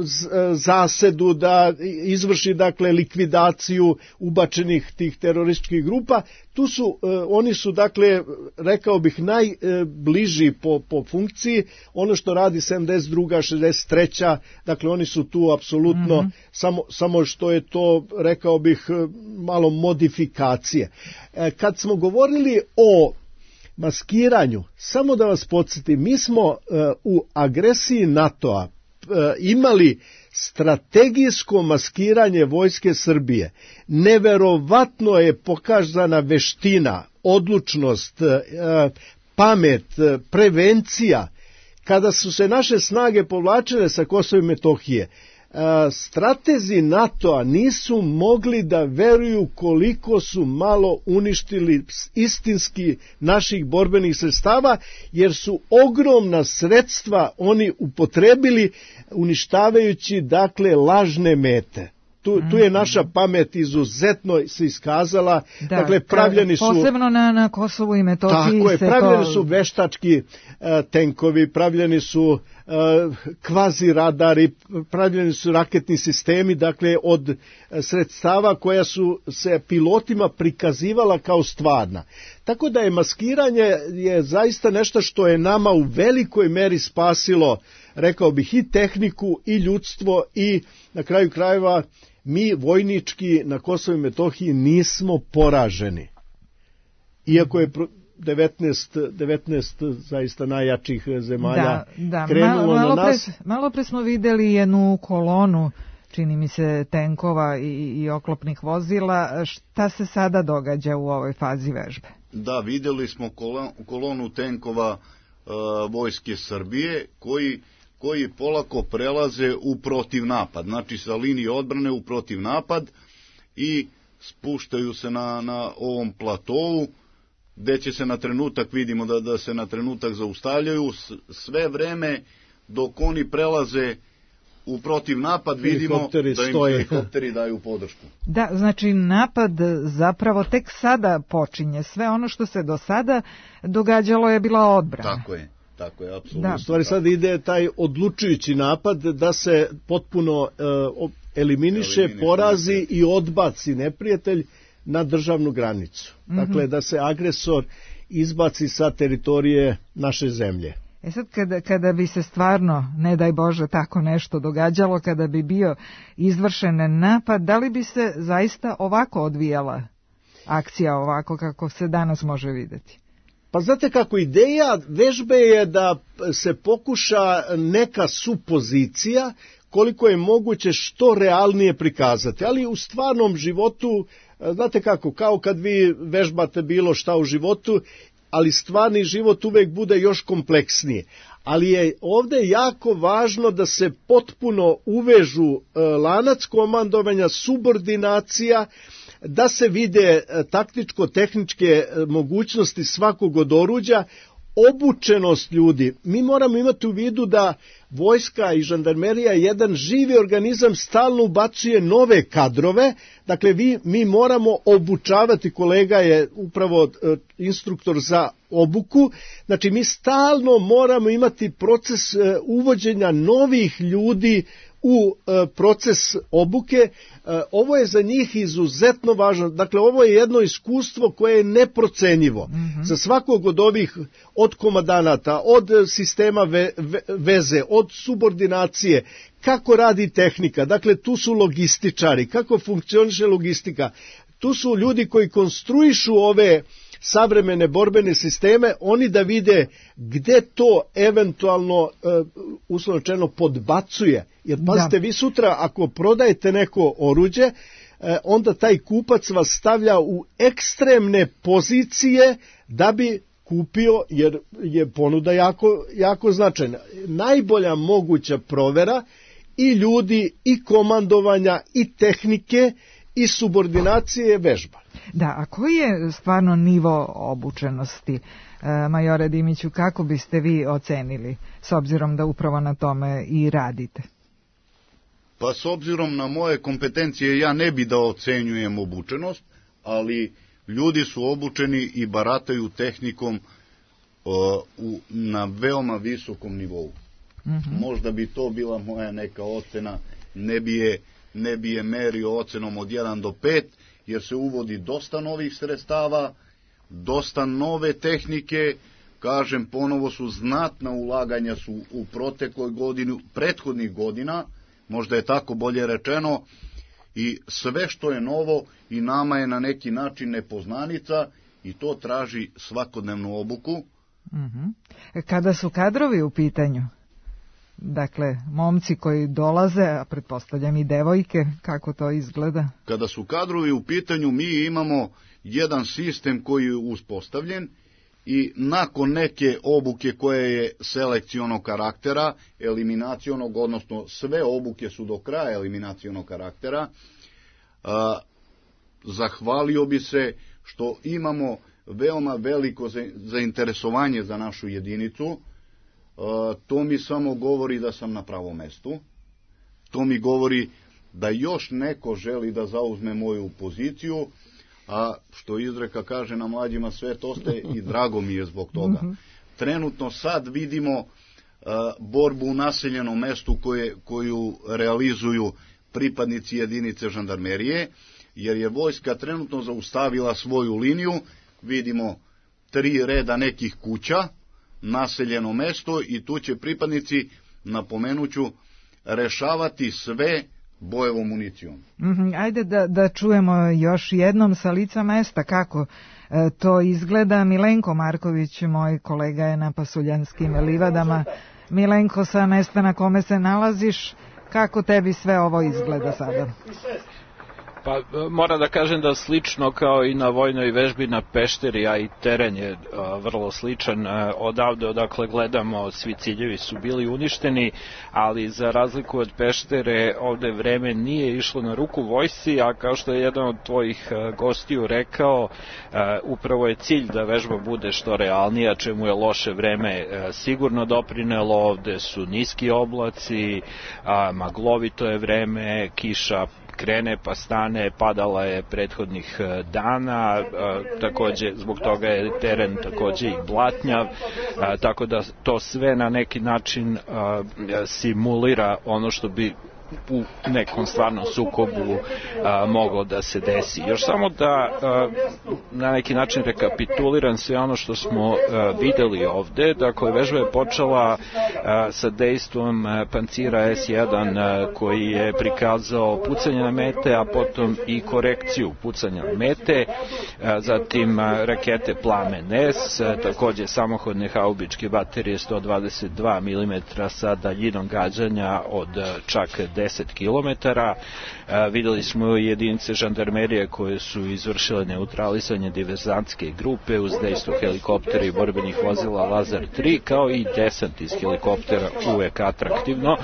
z, zasedu, da izvrši dakle likvidaciju ubačenih tih terorističkih grupa. Tu su, e, oni su dakle, rekao bih, najbliži po, po funkciji, ono što radi sedamdeset druga šezdeset treća, dakle oni su tu apsolutno, mm-hmm. samo, samo što je to, rekao bih, malo modifikacije. E, kad smo govorili o maskiranju, samo da vas podsjetim, mi smo e, u agresiji NATO-a e, imali strategijsko maskiranje Vojske Srbije. Neverovatno je pokazana veština, odlučnost, pamet, prevencija. Kada su se naše snage povlačile sa Kosova i Metohije, stratezi NATO-a nisu mogli da veruju koliko su malo uništili istinski naših borbenih sredstava, jer su ogromna sredstva oni upotrebili uništavajući dakle lažne mete. Tu, tu je naša pamet izuzetno se iskazala, da, dakle pravljeni su... Posebno na, na Kosovu i Metohiji. Tako je, se pravljeni to... su veštački uh, tenkovi, pravljeni su kvazi radari, pravljeni su raketni sistemi, dakle od sredstava koja su se pilotima prikazivala kao stvarna. Tako da je maskiranje je zaista nešto što je nama u velikoj meri spasilo, rekao bih, i tehniku i ljudstvo i na kraju krajeva mi vojnički na Kosovu i Metohiji nismo poraženi. Iako je devetnaest, devetnaest zaista najjačih zemalja da, da. krenulo Ma, malo na nas. Pre, malo pre smo videli jednu kolonu, čini mi se, tenkova i, i oklopnih vozila. Šta se sada događa u ovoj fazi vežbe? Da, videli smo kolonu tenkova uh, vojske Srbije koji, koji polako prelaze u protivnapad. Znači sa linije odbrane u protivnapad i spuštaju se na, na ovom platovu, gde će se na trenutak, vidimo da, da se na trenutak zaustavljaju, sve vreme dok oni prelaze u protiv napad, vidimo da im stoje. Helikopteri daju podršku. Da, znači napad zapravo tek sada počinje. Sve ono što se do sada događalo je bila odbrana. Tako je, tako je, apsolutno. Da. U stvari sad ide taj odlučujući napad da se potpuno uh, eliminiše, eliminiše, porazi i odbaci neprijatelj na državnu granicu. Mm-hmm. Dakle, da se agresor izbaci sa teritorije naše zemlje. E sad, kada, kada bi se stvarno, ne daj Bože, tako nešto događalo, kada bi bio izvršen napad, da li bi se zaista ovako odvijala akcija, ovako kako se danas može vidjeti? Pa znate kako, ideja vežbe je da se pokuša neka supozicija koliko je moguće što realnije prikazati, ali u stvarnom životu, znate kako, kao kad vi vežbate bilo šta u životu, ali stvarni život uvek bude još kompleksniji. Ali je ovdje jako važno da se potpuno uvežu lanac komandovanja, subordinacija, da se vide taktičko-tehničke mogućnosti svakog od oruđa, obučenost ljudi. Mi moramo imati u vidu da vojska i žandarmerija jedan živi organizam, stalno ubacuje nove kadrove, dakle vi, mi moramo obučavati, kolega je upravo uh, instruktor za obuku, znači mi stalno moramo imati proces uh, uvođenja novih ljudi u uh, proces obuke. Uh, ovo je za njih izuzetno važno, dakle ovo je jedno iskustvo koje je neprocenjivo. Mm-hmm. Za svakog od ovih, od komandanata, od sistema ve, ve, veze, od subordinacije, kako radi tehnika, dakle tu su logističari, kako funkcioniše logistika, tu su ljudi koji konstruišu ove savremene borbene sisteme, oni da vide gde to eventualno uh, uslovno rečeno podbacuje. Jer pazite, vi sutra ako prodajete neko oruđe, uh, onda taj kupac vas stavlja u ekstremne pozicije da bi kupio, jer je ponuda jako, jako značajna. Najbolja moguća provera i ljudi, i komandovanja, i tehnike, i subordinacije je vežba. Da, a koji je stvarno nivo obučenosti, e, majore Dimiću, kako biste vi ocenili, s obzirom da upravo na tome i radite? Pa s obzirom na moje kompetencije ja ne bi da ocenjujem obučenost, ali ljudi su obučeni i barataju tehnikom o, u, na veoma visokom nivou. Mm-hmm. Možda bi to bila moja neka ocena, ne bi je, ne bi je merio ocenom od jedan do pet, jer se uvodi dosta novih sredstava, dosta nove tehnike, kažem, ponovo su znatna ulaganja su u protekloj godini, prethodnih godina, možda je tako bolje rečeno, i sve što je novo i nama je na neki način nepoznanica i to traži svakodnevnu obuku. Mm-hmm. Kada su kadrovi u pitanju, dakle, momci koji dolaze, a pretpostavljam i devojke, kako to izgleda? Kada su kadrovi u pitanju, mi imamo jedan sistem koji je uspostavljen i nakon neke obuke koje je selekcionog karaktera, eliminacionog, odnosno sve obuke su do kraja eliminacionog karaktera, a, zahvalio bi se što imamo veoma veliko zainteresovanje za našu jedinicu. Uh, to mi samo govori da sam na pravom mestu, to mi govori da još neko želi da zauzme moju poziciju, a što izreka kaže na mlađima svet ostaje i drago mi je zbog toga. Trenutno sad vidimo uh, borbu u naseljenom mestu koje, koju realizuju pripadnici jedinice žandarmerije, jer je vojska trenutno zaustavila svoju liniju, vidimo tri reda nekih kuća, naseljeno mesto i tu će pripadnici, napomenuću, rešavati sve bojevom municijom. Mm-hmm. Ajde da, da čujemo još jednom sa lica mesta kako e, to izgleda. Milenko Marković, moj kolega, je na Pasuljanskim livadama. Milenko, sa mesta na kome se nalaziš, kako tebi sve ovo izgleda sada? Pa moram da kažem da slično kao i na vojnoj vežbi na Pešteri, a i teren je a, vrlo sličan. A, odavde odakle gledamo svi ciljevi su bili uništeni, ali za razliku od Peštere ovde vreme nije išlo na ruku vojsci, a kao što je jedan od tvojih a, gostiju rekao, a, upravo je cilj da vežba bude što realnija, čemu je loše vreme a, sigurno doprinelo. Ovde su niski oblaci, a, maglovito je vreme, kiša krene pa stane, padala je prethodnih dana, takođe zbog toga je teren takođe i blatnjav, tako da to sve na neki način simulira ono što bi u nekom stvarnom sukobu a, moglo da se desi. Još samo da a, na neki način rekapituliram sve ono što smo a, videli ovde. Dakle, vežba je počela a, sa dejstvom a, pancira es jedan a, koji je prikazao pucanje na mete, a potom i korekciju pucanja na mete, a, zatim a, rakete Plamen S, a, takođe samohodne haubičke baterije sto dvadeset dva milimetra sa daljinom gađanja od a, čak deset kilometara. E, videli smo jedinice žandarmerije koje su izvršile neutralisanje diverzantske grupe uz dejstvo helikoptera i borbenih vozila Lazar tri, kao i desant iz helikoptera uvek atraktivno.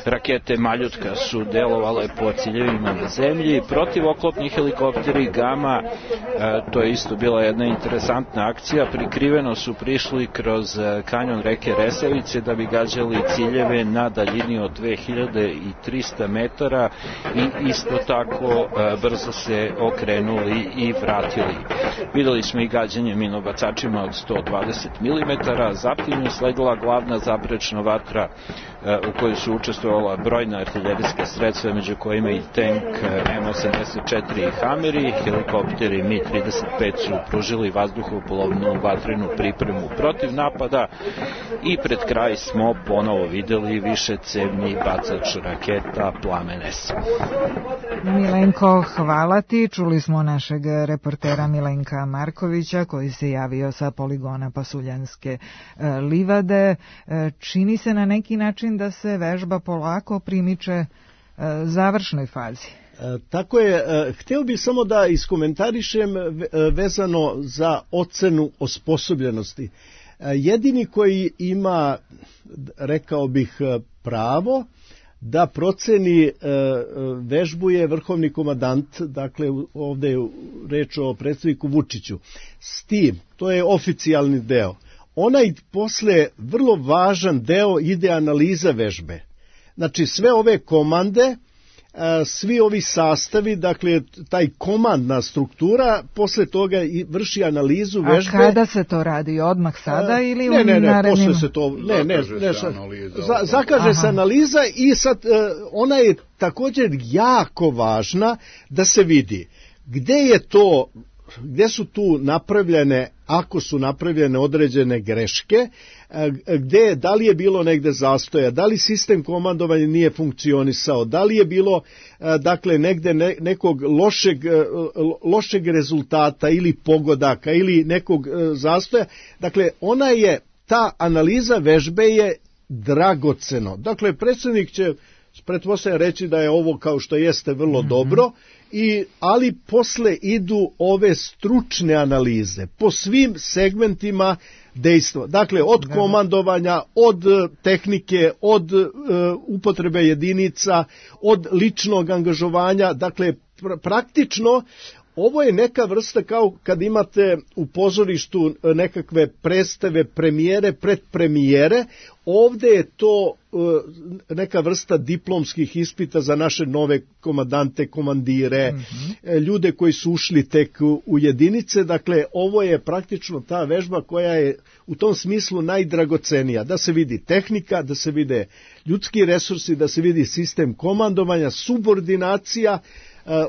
Rakete Maljutka su delovale po ciljevima na zemlji. Protivoklopni helikopteri Gama, e, to je isto bila jedna interesantna akcija, prikriveno su prišli kroz kanjon reke Resavice da bi gađali ciljeve na daljini od dve hiljade trista metara i isto tako e, brzo se okrenuli i vratili. Videli smo i gađanje minobacačima od sto dvadeset milimetara, zatim je sledila glavna zaprečna vatra e, u kojoj su učestvovala brojna artiljerijska sredstva, među kojima i tank em osamdeset četiri i Hameri, helikopteri mi trideset pet su pružili vazduhoplovnu vatrenu pripremu protiv napada i pred kraj smo ponovo videli višecevni bacač raketa Plamen S. Milenko, hvala ti. Čuli smo našeg reportera Milenka Markovića koji se javio sa poligona Pasuljanske livade. Čini se na neki način da se vežba polako primiče završnoj fazi. Tako je, hteo bih samo da iskomentarišem vezano za ocenu osposobljenosti. Jedini koji ima, rekao bih, pravo da proceni e, vežbu je vrhovni komandant, dakle ovde je reč o predsedniku Vučiću. S tim, to je oficijalni deo. Onaj posle vrlo važan deo ide analiza vežbe. Znači sve ove komande, svi ovi sastavi, dakle taj komandna struktura, posle toga vrši analizu vežbe. A kada se to radi? Odmah sada ili ne, u ne, ne, narednim? posle se to, ne, ne, zakaže ne, se analiza. za, zakaže Aha. se analiza i sad ona je također jako važna da se vidi gde je to, gde su tu napravljene, ako su napravljene određene greške, gde, da li je bilo negde zastoja, da li sistem komandovanja nije funkcionisao, da li je bilo dakle negde ne, nekog lošeg, lošeg rezultata ili pogodaka ili nekog zastoja. Dakle, ona je, ta analiza vežbe je dragoceno. Dakle, predsjednik će pretpostavljam reći da je ovo kao što jeste vrlo mm-hmm. dobro, i, ali posle idu ove stručne analize po svim segmentima dejstva. Dakle, od komandovanja, od tehnike, od uh, upotrebe jedinica, od ličnog angažovanja, dakle, pr- praktično ovo je neka vrsta kao kad imate u pozorištu nekakve predstave, premijere, predpremijere, ovde je to neka vrsta diplomskih ispita za naše nove komandante, komandire, mm-hmm. ljude koji su ušli tek u jedinice, dakle ovo je praktično ta vežba koja je u tom smislu najdragocenija, da se vidi tehnika, da se vide ljudski resursi, da se vidi sistem komandovanja, subordinacija,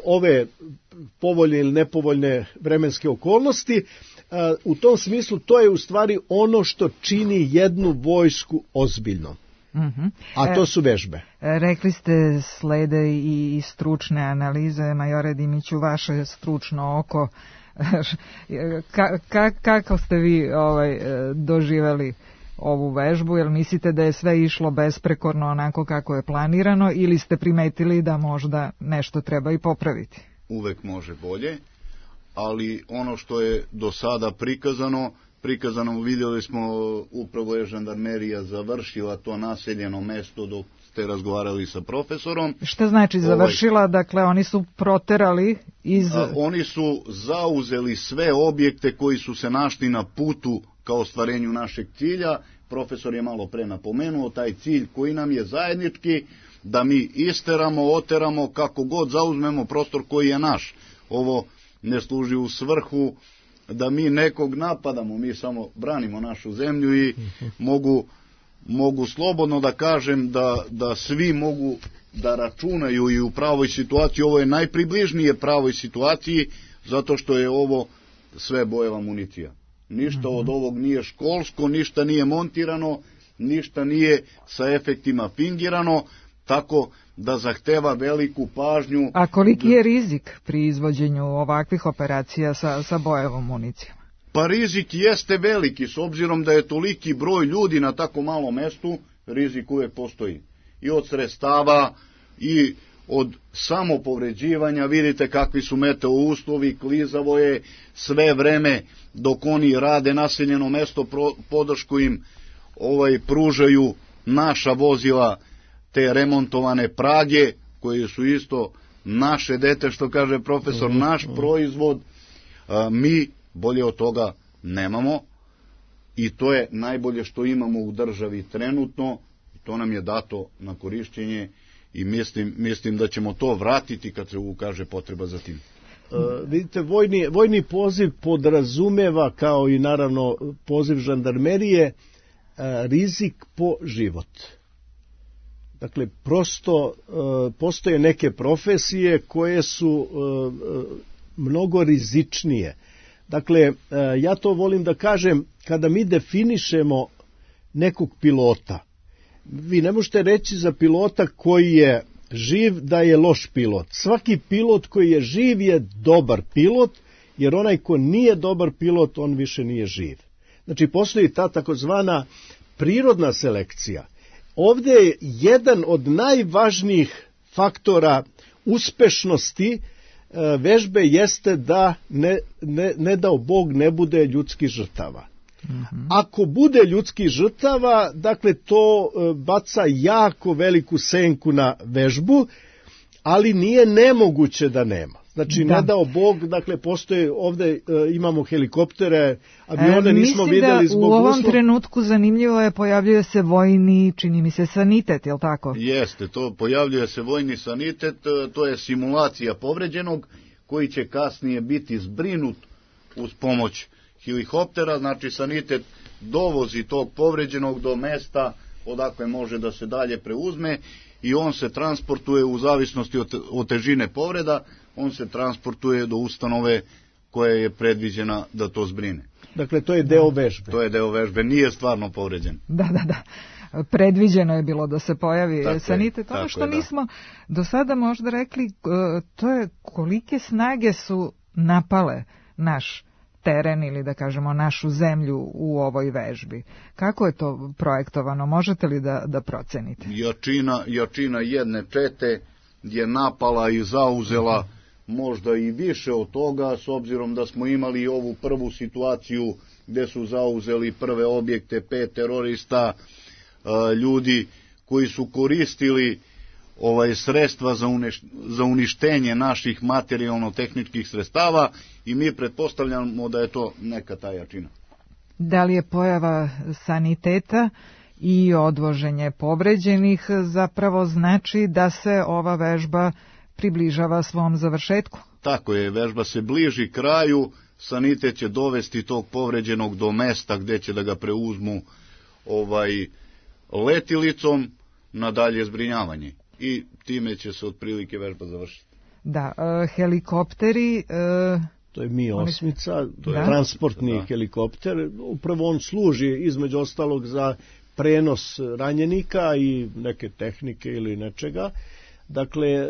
ove povoljne ili nepovoljne vremenske okolnosti. U tom smislu to je u stvari ono što čini jednu vojsku ozbiljnom. Mm-hmm. A to su vežbe. E, rekli ste slede i stručne analize, majore Dimiću, vaše stručno oko. ka, ka, kako ste vi ovaj, doživeli ovu vežbu? Jel mislite da je sve išlo besprekorno onako kako je planirano ili ste primetili da možda nešto treba i popraviti? Uvek može bolje, ali ono što je do sada prikazano, prikazano vidjeli smo, upravo je žandarmerija završila to naseljeno mesto dok ste razgovarali sa profesorom. Šta znači završila? Ovaj, dakle, oni su proterali iz... A, oni su zauzeli sve objekte koji su se našli na putu kao ostvarenju našeg cilja. Profesor je malo pre napomenuo taj cilj koji nam je zajednički, da mi isteramo, oteramo, kako god zauzmemo prostor koji je naš. Ovo ne služi u svrhu da mi nekog napadamo, mi samo branimo našu zemlju i mogu, mogu slobodno da kažem da, da svi mogu da računaju i u pravoj situaciji. Ovo je najpribližnije pravoj situaciji zato što je ovo sve bojeva municija. Ništa od ovog nije školsko, ništa nije montirano, ništa nije sa efektima fingirano, tako da zahteva veliku pažnju. A koliki je rizik pri izvođenju ovakvih operacija sa, sa bojevom municijom? Pa rizik jeste veliki, s obzirom da je toliki broj ljudi na tako malom mestu, rizik uvek postoji. I od sredstava, i od samopovređivanja, vidite kakvi su meteo uslovi, klizavo je sve vreme dok oni rade naseljeno mesto, podršku im ovaj, pružaju naša vozila, te remontovane prage, koje su isto naše dete, što kaže profesor, mm-hmm. naš proizvod, a, mi bolje od toga nemamo i to je najbolje što imamo u državi trenutno, to nam je dato na korišćenje i mislim, mislim da ćemo to vratiti kad se ukaže potreba za tim. Uh, vidite, vojni, vojni poziv podrazumeva, kao i naravno poziv žandarmerije, uh, rizik po život. Dakle, prosto uh, postoje neke profesije koje su uh, mnogo rizičnije. Dakle, uh, ja to volim da kažem, kada mi definišemo nekog pilota, vi ne možete reći za pilota koji je živ da je loš pilot. Svaki pilot koji je živ je dobar pilot, jer onaj ko nije dobar pilot, on više nije živ. Znači, postoji ta takozvana prirodna selekcija. Ovdje je jedan od najvažnijih faktora uspešnosti vežbe jeste da ne, ne, ne dao Bog ne bude ljudskih žrtava. Mm-hmm. Ako bude ljudskih žrtava, dakle to baca jako veliku senku na vežbu, ali nije nemoguće da nema. Znači, da. Ne dao Bog, dakle, postoje, ovde e, imamo helikoptere, avione e, nismo vidjeli zbog uslova. U ovom uslov... trenutku zanimljivo je, pojavljuje se vojni, čini mi se, sanitet, je li tako? Jeste, to pojavljuje se vojni sanitet, to je simulacija povređenog, koji će kasnije biti zbrinut uz pomoć helikoptera, znači sanitet dovozi tog povređenog do mesta odakle može da se dalje preuzme i on se transportuje u zavisnosti od, od težine povreda, on se transportuje do ustanove koja je predviđena da to zbrine. Dakle, to je deo vežbe. To je deo vežbe, nije stvarno povređen. Da, da, da. Predviđeno je bilo da se pojavi tako sanitet. Ono što je, da. Nismo do sada možda rekli, to je kolike snage su napale naš teren ili da kažemo našu zemlju u ovoj vežbi. Kako je to projektovano? Možete li da, da procenite? Jačina, jačina jedne čete je napala i zauzela možda i više od toga, s obzirom da smo imali ovu prvu situaciju gde su zauzeli prve objekte, pet terorista, ljudi koji su koristili ovaj sredstva za, uneš, za uništenje naših materijalno-tehničkih sredstava i mi pretpostavljamo da je to neka ta jačina. Da li je pojava saniteta i odvoženje povređenih zapravo znači da se ova vežba približava svom završetku? Tako je, vežba se bliži kraju, sanitet će dovesti tog povređenog do mesta gde će da ga preuzmu ovaj letilicom na dalje zbrinjavanje i time će se otprilike vežba završiti. Da, e, helikopteri... E, to je Mi osmica, to je da. transportni da. helikopter, upravo on služi između ostalog za prenos ranjenika i neke tehnike ili nečega. Dakle,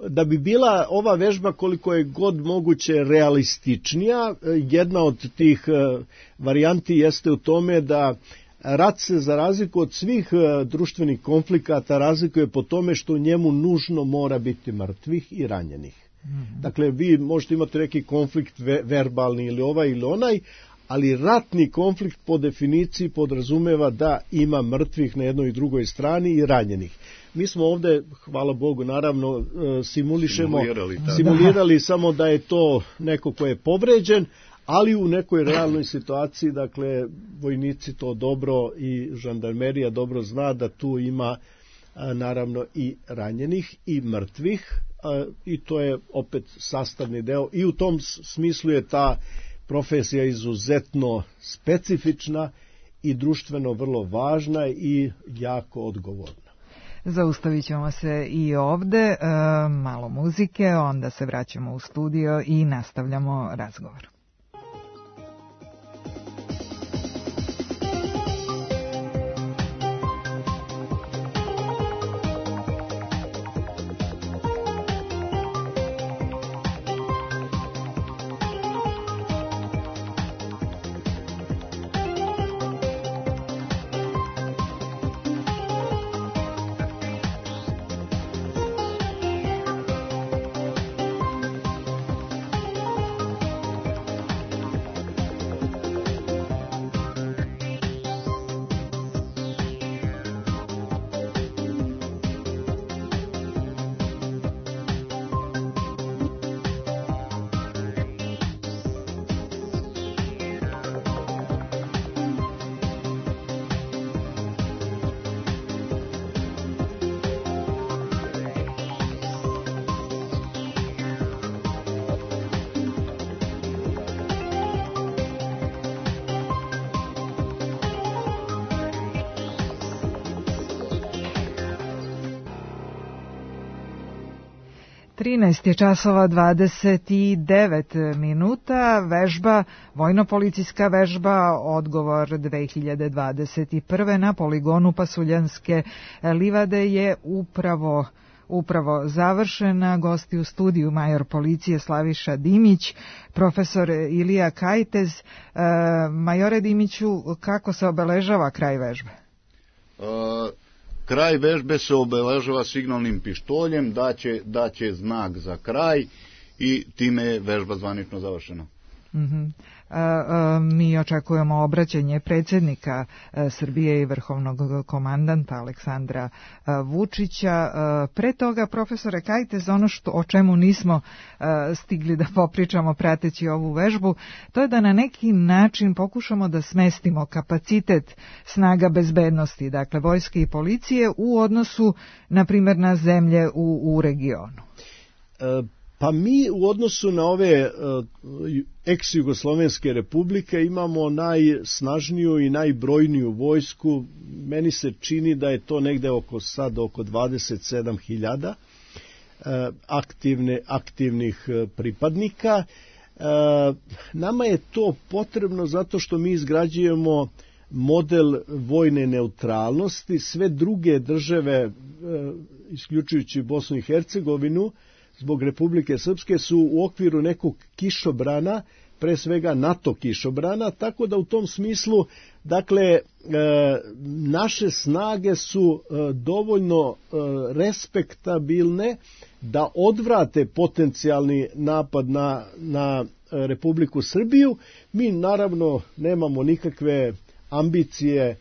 da bi bila ova vežba koliko je god moguće realističnija, jedna od tih varijanti jeste u tome da rat se za razliku od svih društvenih konflikata razlikuje po tome što u njemu nužno mora biti mrtvih i ranjenih. Mm-hmm. Dakle, vi možete imati neki konflikt verbalni ili ovaj ili onaj, ali ratni konflikt po definiciji podrazumeva da ima mrtvih na jednoj i drugoj strani i ranjenih. Mi smo ovde, hvala Bogu, naravno simulišemo, simulirali, simulirali samo da je to neko ko je povređen, ali u nekoj realnoj situaciji, dakle, vojnici to dobro i žandarmerija dobro zna da tu ima naravno i ranjenih i mrtvih i to je opet sastavni deo i u tom smislu je ta profesija izuzetno specifična i društveno vrlo važna i jako odgovorna. Zaustavit ćemo se i ovde, e, malo muzike, onda se vraćamo u studio i nastavljamo razgovor. trinaest je časova dvadeset devet minuta, vežba, vojno-policijska vežba, odgovor dve hiljade dvadeset prve na poligonu Pasuljanske livade je upravo upravo završena. Gosti u studiju major policije Slaviša Dimić, profesor Ilija Kajtez. E, majore Dimiću, kako se obeležava kraj vežbe? Uh... Kraj vežbe se obeležava signalnim pištoljem, daće, daće znak za kraj i time je vežba zvanično završena. Mm-hmm. A, a, mi očekujemo obraćanje predsjednika a, Srbije i vrhovnog komandanta Aleksandra a, Vučića. A, pre toga, profesore Kajtez, ono što, o čemu nismo a, stigli da popričamo prateći ovu vežbu, to je da na neki način pokušamo da smestimo kapacitet snaga bezbednosti, dakle vojske i policije, u odnosu, na primjer, na zemlje u, u regionu. E... Pa mi u odnosu na ove uh, ex-jugoslovenske republike imamo najsnažniju i najbrojniju vojsku. Meni se čini da je to negde oko sad oko dvadeset sedam hiljada uh, aktivne, aktivnih uh, pripadnika. Uh, nama je to potrebno zato što mi izgrađujemo model vojne neutralnosti. Sve druge države, uh, isključujući Bosnu i Hercegovinu, zbog Republike Srpske su u okviru nekog kišobrana, pre svega NATO kišobrana, tako da u tom smislu, dakle, e, naše snage su e, dovoljno e, respektabilne da odvrate potencijalni napad na, na Republiku Srbiju. Mi naravno nemamo nikakve ambicije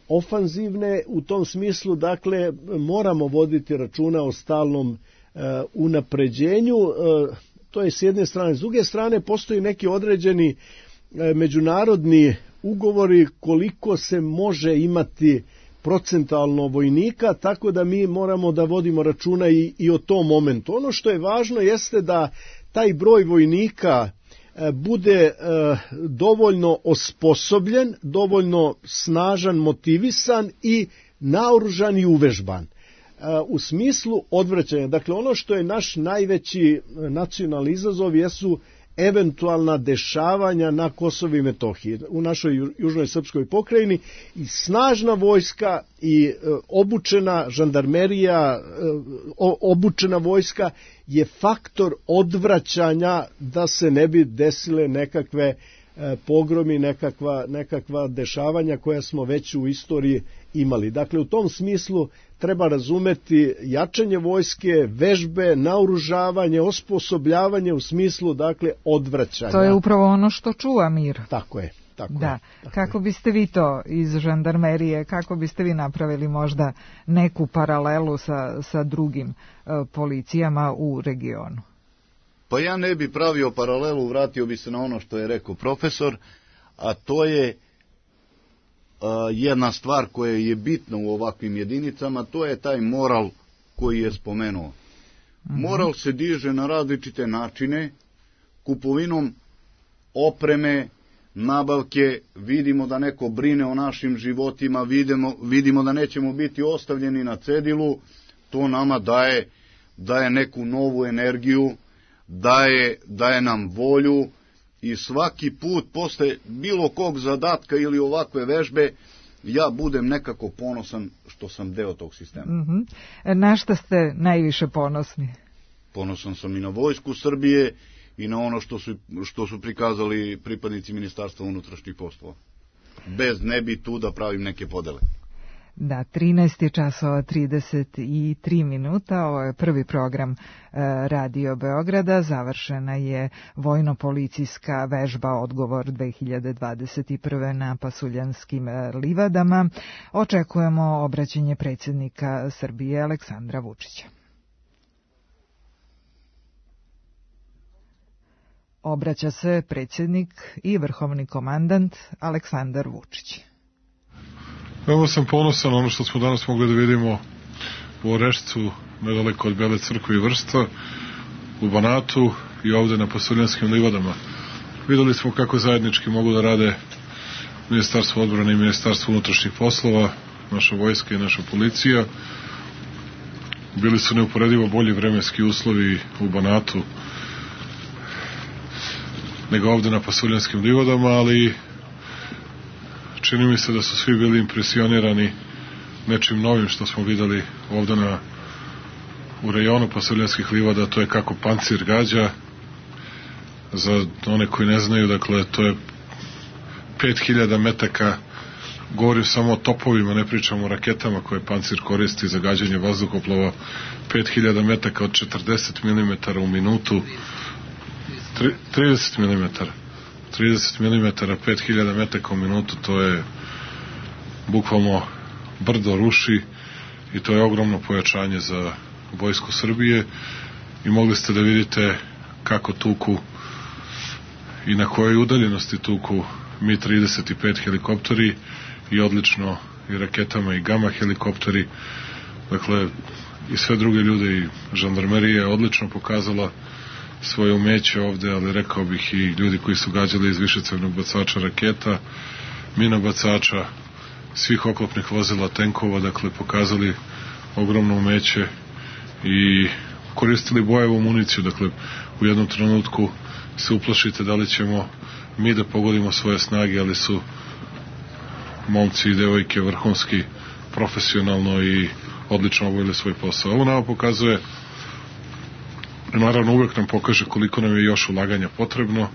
ofanzivne. U tom smislu, dakle, moramo voditi računa o stalnom unapređenju. To je s jedne strane. S druge strane, postoji neki određeni međunarodni ugovori koliko se može imati procentalno vojnika, tako da mi moramo da vodimo računa i, i o tom momentu. Ono što je važno jeste da taj broj vojnika bude dovoljno osposobljen, dovoljno snažan, motivisan i naoružan i uvežban. U smislu odvraćanja. Dakle, ono što je naš najveći nacionalni izazov jesu eventualna dešavanja na Kosovu i Metohiji, u našoj južnoj srpskoj pokrajini, i snažna vojska i obučena žandarmerija, obučena vojska je faktor odvraćanja da se ne bi desile nekakve pogromi, nekakva, nekakva dešavanja koja smo već u istoriji imali. Dakle, u tom smislu treba razumeti jačanje vojske, vežbe, naoružavanje, osposobljavanje u smislu, dakle, odvraćanja. To je upravo ono što čuva mir. Tako je. Tako da. je, tako kako je. biste vi to iz žandarmerije, kako biste vi napravili možda neku paralelu sa, sa drugim uh, policijama u regionu? Pa ja ne bi pravio paralelu, vratio bi se na ono što je rekao profesor, a to je a, jedna stvar koja je bitna u ovakvim jedinicama, to je taj moral koji je spomenuo. Mm-hmm. Moral se diže na različite načine, kupovinom opreme, nabavke, vidimo da neko brine o našim životima, vidimo, vidimo da nećemo biti ostavljeni na cedilu, to nama daje, daje neku novu energiju, daje, daje nam volju i svaki put posle bilo kog zadatka ili ovakve vežbe ja budem nekako ponosan što sam deo tog sistema. Mm-hmm. Na šta ste najviše ponosni? Ponosan sam i na vojsku Srbije i na ono što su, što su prikazali pripadnici Ministarstva unutrašnjih poslova. Bez ne bi tu da pravim neke podele. Da, trinaest časova trideset tri minuta, ovo je prvi program e, Radio Beograda, završena je vojno-policijska vežba Odgovor dve hiljade dvadeset prve na Pasuljanskim livadama. Očekujemo obraćanje predsjednika Srbije Aleksandra Vučića. Obraća se predsjednik i vrhovni komandant Aleksandar Vučić. Evo sam ponosan ono što smo danas mogli da vidimo u Orešcu, nedaleko od Bele crkve i Vršca, u Banatu i ovde na Pasuljanskim livadama. Videli smo kako zajednički mogu da rade Ministarstvo odbrane i Ministarstvo unutrašnjih poslova, naša vojska i naša policija. Bili su neuporedivo bolji vremenski uslovi u Banatu nego ovde na Pasuljanskim livadama, ali čini mi se da su svi bili impresionirani nečim novim što smo videli ovde na, u rejonu Pasuljanskih livada, to je kako pancir gađa. Za one koji ne znaju, dakle, to je pet hiljada metaka, govorim samo o topovima, ne pričamo o raketama koje pancir koristi za gađanje vazduhoplova, pet hiljada metaka od četrdeset milimetara u minutu, trideset milimetara. trideset milimetara, pet hiljada metaka u minutu, to je bukvalno brdo ruši i to je ogromno pojačanje za vojsku Srbije i mogli ste da vidite kako tuku i na kojoj udaljenosti tuku Mi trideset pet helikopteri i odlično i raketama i Gama helikopteri, dakle i sve druge ljude i žandarmerija je odlično pokazala svoje umeće ovde, ali rekao bih i ljudi koji su gađali iz višecevnog bacača raketa, minobacača, svih oklopnih vozila, tenkova, dakle pokazali ogromno umeće i koristili bojevu municiju, dakle u jednom trenutku se uplašite da li ćemo mi da pogodimo svoje snage, ali su momci i devojke vrhunski, profesionalno i odlično obavili svoj posao. Ovo nama pokazuje, naravno uvek nam pokaže koliko nam je još ulaganja potrebno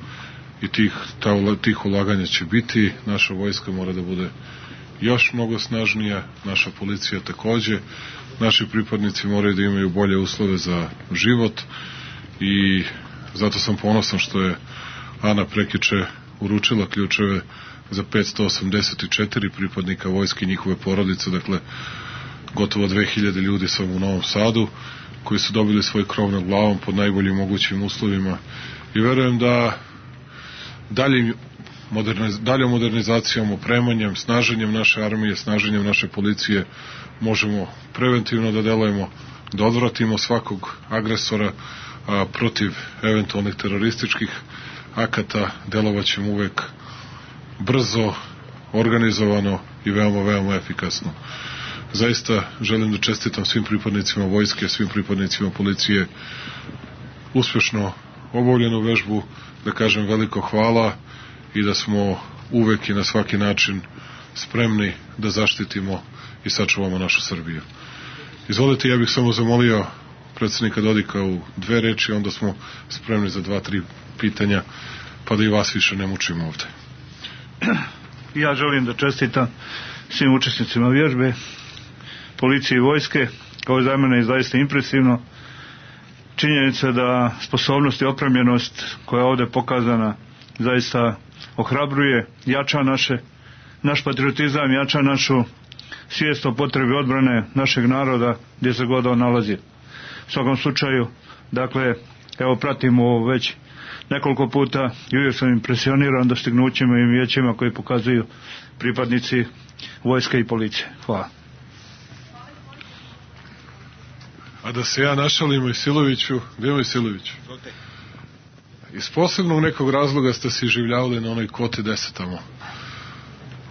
i tih, ta, tih ulaganja će biti. Naša vojska mora da bude još mnogo snažnija, naša policija takođe, naši pripadnici moraju da imaju bolje uslove za život i zato sam ponosan što je Ana prekiče uručila ključeve za petsto osamdeset četiri pripadnika vojske i njihove porodice, dakle gotovo dve hiljade ljudi samo u Novom Sadu, koji su dobili svoj krov nad glavom pod najboljim mogućim uslovima i verujem da daljim moderniz, daljom modernizacijom, opremanjem, snaženjem naše armije, snaženjem naše policije možemo preventivno da delujemo, da odvratimo svakog agresora, a protiv eventualnih terorističkih akata delovaćemo uvek brzo, organizovano i veoma, veoma efikasno. Zaista želim da čestitam svim pripadnicima vojske, svim pripadnicima policije uspešno obavljenu vežbu, da kažem veliko hvala i da smo uvek i na svaki način spremni da zaštitimo i sačuvamo našu Srbiju. Izvolite, ja bih samo zamolio predsednika Dodika u dve reči, onda smo spremni za dva, tri pitanja, pa da i vas više ne mučimo ovde. Ja želim da čestitam svim učesnicima vježbe, policije i vojske. Ovo za mene je zaista impresivno. Činjenica da sposobnost i opremljenost koja je ovde pokazana zaista ohrabruje, jača naše, naš patriotizam, jača našu svijest o potrebi odbrane našeg naroda gdje se god on nalazi. U svakom slučaju, dakle, evo pratimo već nekoliko puta i uvijek sam impresioniran dostignućima i vijećima koji pokazuju pripadnici vojske i policije. Hvala. A da se ja našalim Mojsiloviću, gdje je Mojsilović? Iz posebnog nekog razloga ste se življavali na onoj kvoti deset tamo.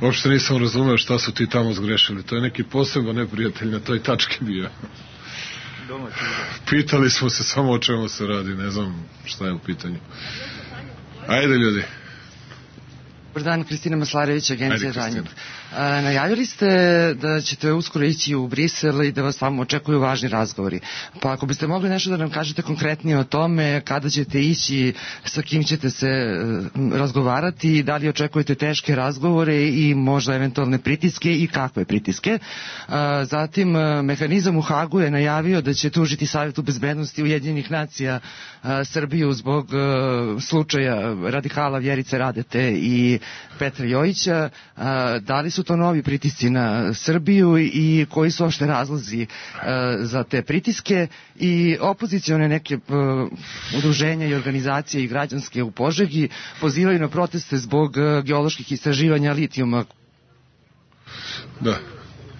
Uopšte nisam razumeo šta su ti tamo zgrešili. To je neki posebno neprijatelj na toj tački bio. Pitali smo se samo o čemu se radi, ne znam šta je u pitanju. Ajde ljudi. Dobar dan, Kristina Maslarević, Agencija Tanjug. Najavili ste da ćete uskoro ići u Brisel i da vas tamo očekuju važni razgovori. Pa ako biste mogli nešto da nam kažete konkretnije o tome, kada ćete ići, sa kim ćete se razgovarati, da li očekujete teške razgovore i možda eventualne pritiske i kakve pritiske. Zatim, mehanizam u Hagu je najavio da će tužiti Savjetu bezbednosti Ujedinjenih nacija Srbiju zbog slučaja radikala Vjerice Radete i Petra Jojića. Da li su to novi pritisci na Srbiju i koji su ošte razlozi za te pritiske i opozicione neke udruženja i organizacije i građanske u Požegi pozivaju na proteste zbog geoloških istraživanja litijuma. Da.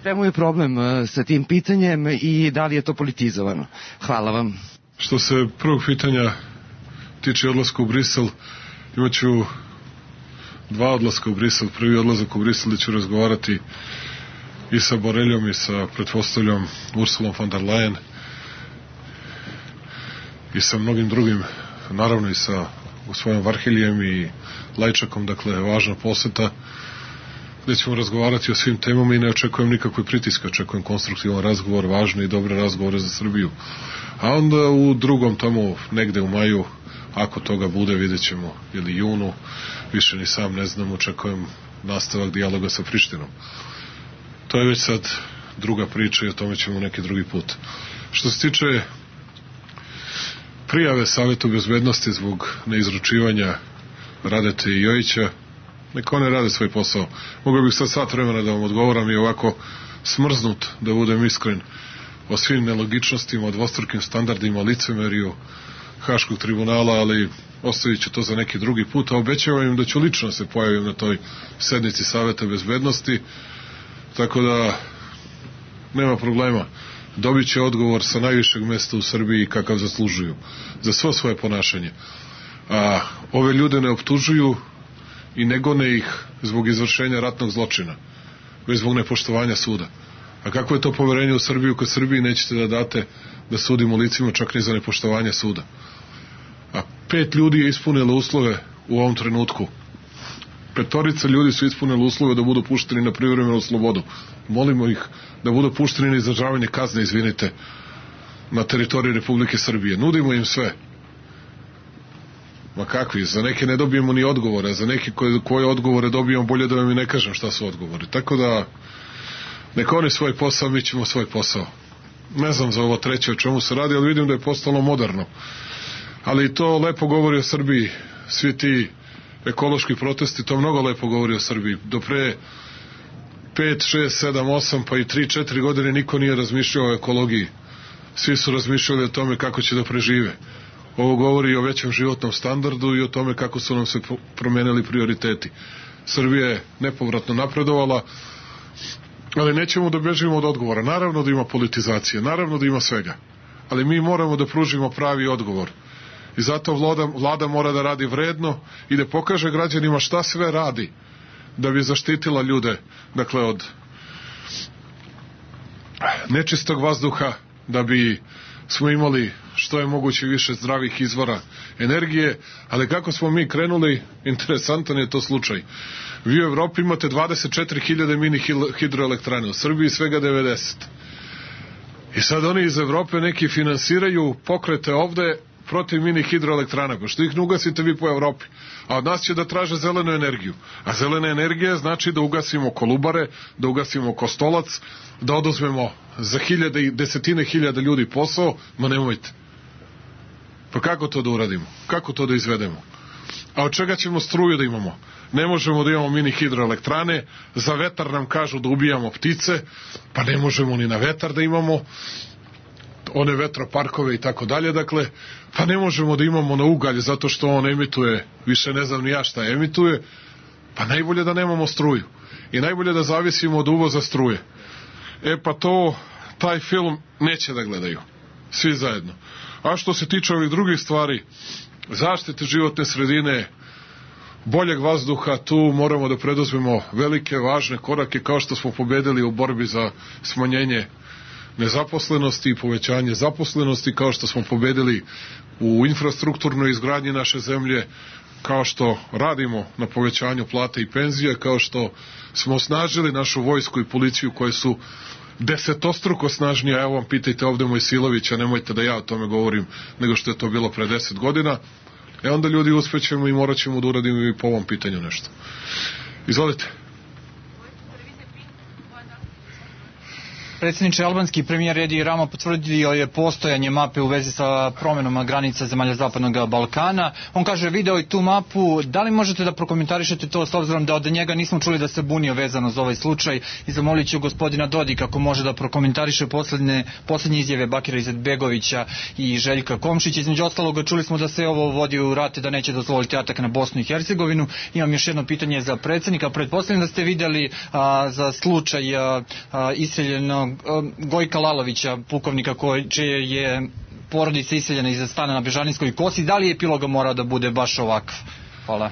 Čemu je problem sa tim pitanjem i da li je to politizovano? Hvala vam. Što se prvog pitanja tiče odlaska u Brisel, imaću dva odlaska u Brisel. Prvi odlazak u Brisel gde ću razgovarati i sa Boreljom i sa pretpostavljom Ursulom von der Leyen i sa mnogim drugim, naravno i sa gospodinom Varhelijem i Lajčakom, dakle važna poseta gde ćemo razgovarati o svim temama i ne očekujem nikakve pritiske, očekujem konstruktivan razgovor, važne i dobre razgovore za Srbiju. A onda u drugom tamo negde u maju, ako toga bude, vidjet ćemo, ili junu, više ni sam ne znam, očekujem nastavak dijaloga sa Prištinom. To je već sad druga priča i o tome ćemo neki drugi put. Što se tiče prijave Savjetu bezbednosti zbog neizručivanja Radete i Jojića, neka one rade svoj posao. Mogao bih sad sat vremena da vam odgovoram i ovako smrznut, da budem iskren, o svim nelogičnostima, o dvostrukim standardima, licemeriju Haškog tribunala, ali ostavit ću to za neki drugi put, a obećavam im da ću lično se pojavim na toj sednici Saveta bezbednosti, tako da nema problema. Dobit će odgovor sa najvišeg mesta u Srbiji kakav zaslužuju za svo svoje ponašanje. A ove ljude ne optužuju i ne gone ih zbog izvršenja ratnog zločina, već zbog nepoštovanja suda. A kako je to poverenje u Srbiju kad Srbiji nećete da date da sudimo licima čak ni za nepoštovanje suda? A pet ljudi je ispunilo uslove u ovom trenutku. Petorica ljudi su ispunili uslove da budu pušteni na privremenu slobodu. Molimo ih da budu pušteni na izdržavanje kazne, izvinite, na teritoriji Republike Srbije. Nudimo im sve. Ma kakvi, za neke ne dobijemo ni odgovore, za neke koje, koje odgovore dobijemo, bolje da vam i ne kažem šta su odgovori. Tako da, neka oni svoj posao, mi ćemo svoj posao. Ne znam za ovo treće o čemu se radi, ali vidim da je postalo moderno. Ali to lepo govori o Srbiji. Svi ti ekološki protesti, to mnogo lepo govori o Srbiji. Do pre pet, šest, sedam, osam, pa i tri, četiri godine niko nije razmišljao o ekologiji. Svi su razmišljali o tome kako će da prežive. Ovo govori o većem životnom standardu i o tome kako su nam se promenili prioriteti. Srbija je nepovratno napredovala, ali nećemo da bežimo od odgovora. Naravno da ima politizacije, naravno da ima svega, ali mi moramo da pružimo pravi odgovor. I zato vlada, vlada mora da radi vredno i da pokaže građanima šta sve radi da bi zaštitila ljude, dakle, od nečistog vazduha, da bi smo imali što je moguće više zdravih izvora energije, ali kako smo mi krenuli, interesantan je to slučaj. Vi u Evropi imate dvadeset četiri hiljade mini hidroelektrane, u Srbiji svega devedeset. I sad oni iz Evrope neki finansiraju pokrete ovde protiv mini hidroelektrana, pošto ih ne ugasite vi po Evropi, a od nas će da traže zelenu energiju. A zelena energija znači da ugasimo Kolubare, da ugasimo Kostolac, da oduzmemo za hiljade i desetine hiljada ljudi posao, ma nemojte. Pa kako to da uradimo? Kako to da izvedemo? A od čega ćemo struju da imamo? Ne možemo da imamo mini hidroelektrane, za vetar nam kažu da ubijamo ptice, pa ne možemo ni na vetar da imamo one vetroparkove i tako dalje, dakle, pa ne možemo da imamo na ugalj zato što on emituje, više ne znam ni ja šta emituje, pa najbolje da nemamo struju i najbolje da zavisimo od uvoza struje. E pa to, taj film neće da gledaju, svi zajedno. A što se tiče ovih drugih stvari, zaštite životne sredine, boljeg vazduha, tu moramo da preduzmemo velike, važne korake, kao što smo pobedili u borbi za smanjenje nezaposlenosti i povećanje zaposlenosti, kao što smo pobedili u infrastrukturnoj izgradnji naše zemlje, kao što radimo na povećanju plata i penzija, kao što smo osnažili našu vojsku i policiju koje su desetostruko snažnije. Evo vam, pitajte ovde Mojsilovića, nemojte da ja o tome govorim, nego što je to bilo pre deset godina. E onda ljudi uspećemo i morat ćemo da uradimo i po ovom pitanju nešto. Izvolite. Predsjedniče, albanski premijer Edi Rama potvrdio je postojanje mape u vezi sa promenama granica zemalja Zapadnog Balkana. On kaže, video i tu mapu, da li možete da prokomentarišete to s obzirom da od njega nismo čuli da se bunio vezano za ovaj slučaj, i zamolit ću gospodina Dodika ako može da prokomentariše poslednje, poslednje izjave Bakira Izetbegovića i Željka Komšića. Između ostaloga čuli smo da se ovo vodi u rate, da neće dozvoliti atak na Bosnu i Hercegovinu. Imam još jedno pitanje za predsjednika. Pretpostavljam da ste videli a, za slučaj a, a, iseljenog Gojka Lalovića, pukovnika koji, čije je porodica iseljena iz stana na Bežanijskoj kosi. Da li je epilog morao da bude baš ovakav? Hvala.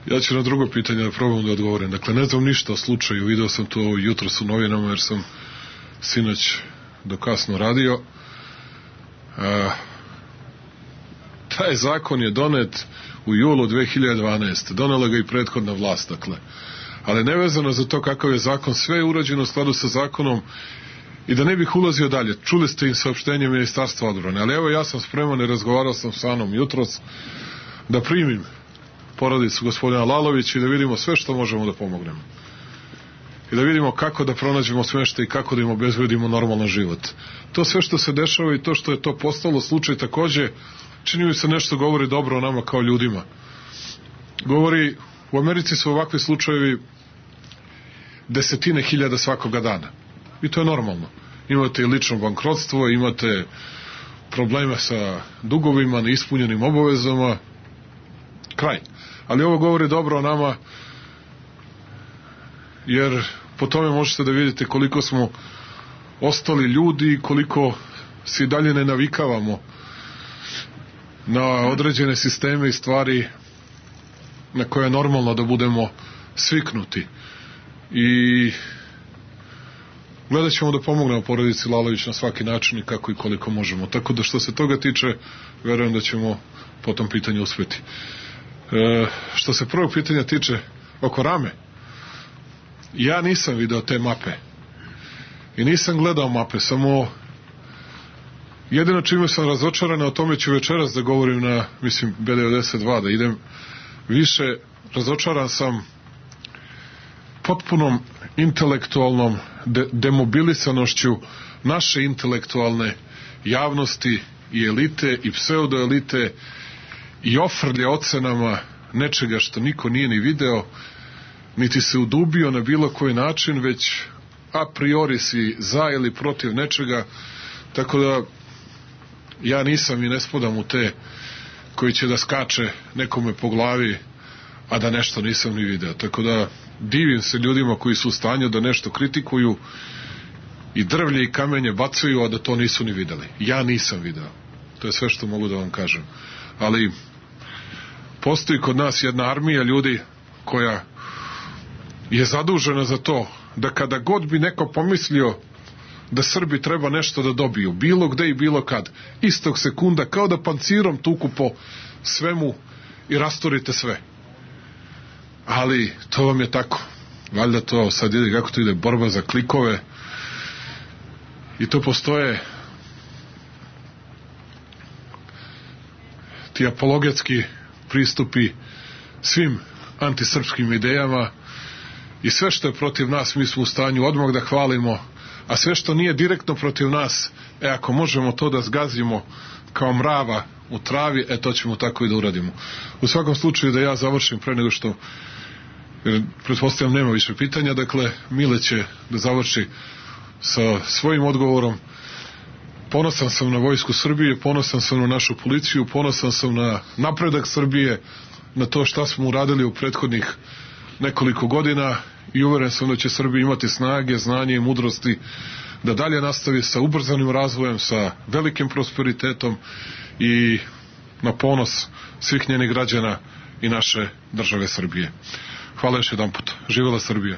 Ja ću na drugo pitanje da probam da odgovorim. Dakle, ne znam ništa o slučaju, video sam to jutros u novinama jer sam sinoć do kasno radio. A, taj zakon je donet u julu dve hiljade dvanaeste. Donela ga i prethodna vlast, dakle. Ali nevezano za to kakav je zakon, sve je urađeno u skladu sa zakonom. I da ne bih ulazio dalje, čuli ste im saopštenje Ministarstva odbrane, ali evo ja sam spreman i razgovarao sam sa Anom jutros da primim porodicu gospodina Lalovića i da vidimo sve što možemo da pomognemo. I da vidimo kako da pronađemo smeštaj i kako da im obezbedimo normalan život. To sve što se dešava i to što je to postalo slučaj takođe, čini mi se nešto govori dobro o nama kao ljudima. Govori, u Americi su ovakvi slučajevi desetine hiljada svakoga dana. I to je normalno. Imate i lično bankrotstvo, imate probleme sa dugovima, neispunjenim obavezama, kraj. Ali ovo govori dobro o nama, jer po tome možete da vidite koliko smo ostali ljudi i koliko se i dalje ne navikavamo na određene sisteme i stvari na koje je normalno da budemo sviknuti. I gledat ćemo da pomognemo porodici Lalović na svaki način i kako i koliko možemo. Tako da što se toga tiče, verujem da ćemo po tom pitanju uspeti. E, što se prvog pitanja tiče oko Rame, ja nisam video te mape i nisam gledao mape, samo jedino čime sam razočaran, o tome ću večeras da govorim na, mislim, B devedeset dva, da idem više, razočaran sam potpunom intelektualnom de- demobilisanošću naše intelektualne javnosti i elite i pseudoelite i ofrlje ocenama nečega što niko nije ni video, niti se udubio na bilo koji način, već a priori si za ili protiv nečega, tako da ja nisam i ne spadam u te koji će da skače nekome po glavi, a da nešto nisam ni video. Tako da divim se ljudima koji su u stanju da nešto kritikuju i drvlje i kamenje bacaju, a da to nisu ni videli. Ja nisam video. To je sve što mogu da vam kažem. Ali postoji kod nas jedna armija ljudi koja je zadužena za to da kada god bi neko pomislio da Srbi treba nešto da dobiju, bilo gde i bilo kad, istog sekunda, kao da pancirom tuku po svemu i rastorite sve. Ali to vam je tako. Valjda to sad ide, kako to ide, borba za klikove. I to postoje ti apologetski pristupi svim antisrpskim idejama i sve što je protiv nas mi smo u stanju odmah da hvalimo, a sve što nije direktno protiv nas, e ako možemo to da zgazimo kao mrava u travi, e to ćemo tako i da uradimo. U svakom slučaju da ja završim pre nego što, jer pretpostavljam nema više pitanja, dakle Mile će da završi sa svojim odgovorom. Ponosan sam na Vojsku Srbije, ponosan sam na našu policiju, ponosan sam na napredak Srbije, na to šta smo uradili u prethodnih nekoliko godina i uveren sam da će Srbija imati snage, znanje i mudrosti da dalje nastavi sa ubrzanim razvojem, sa velikim prosperitetom i na ponos svih njenih građana i naše države Srbije. Hvala još jedan put. Živela Srbija.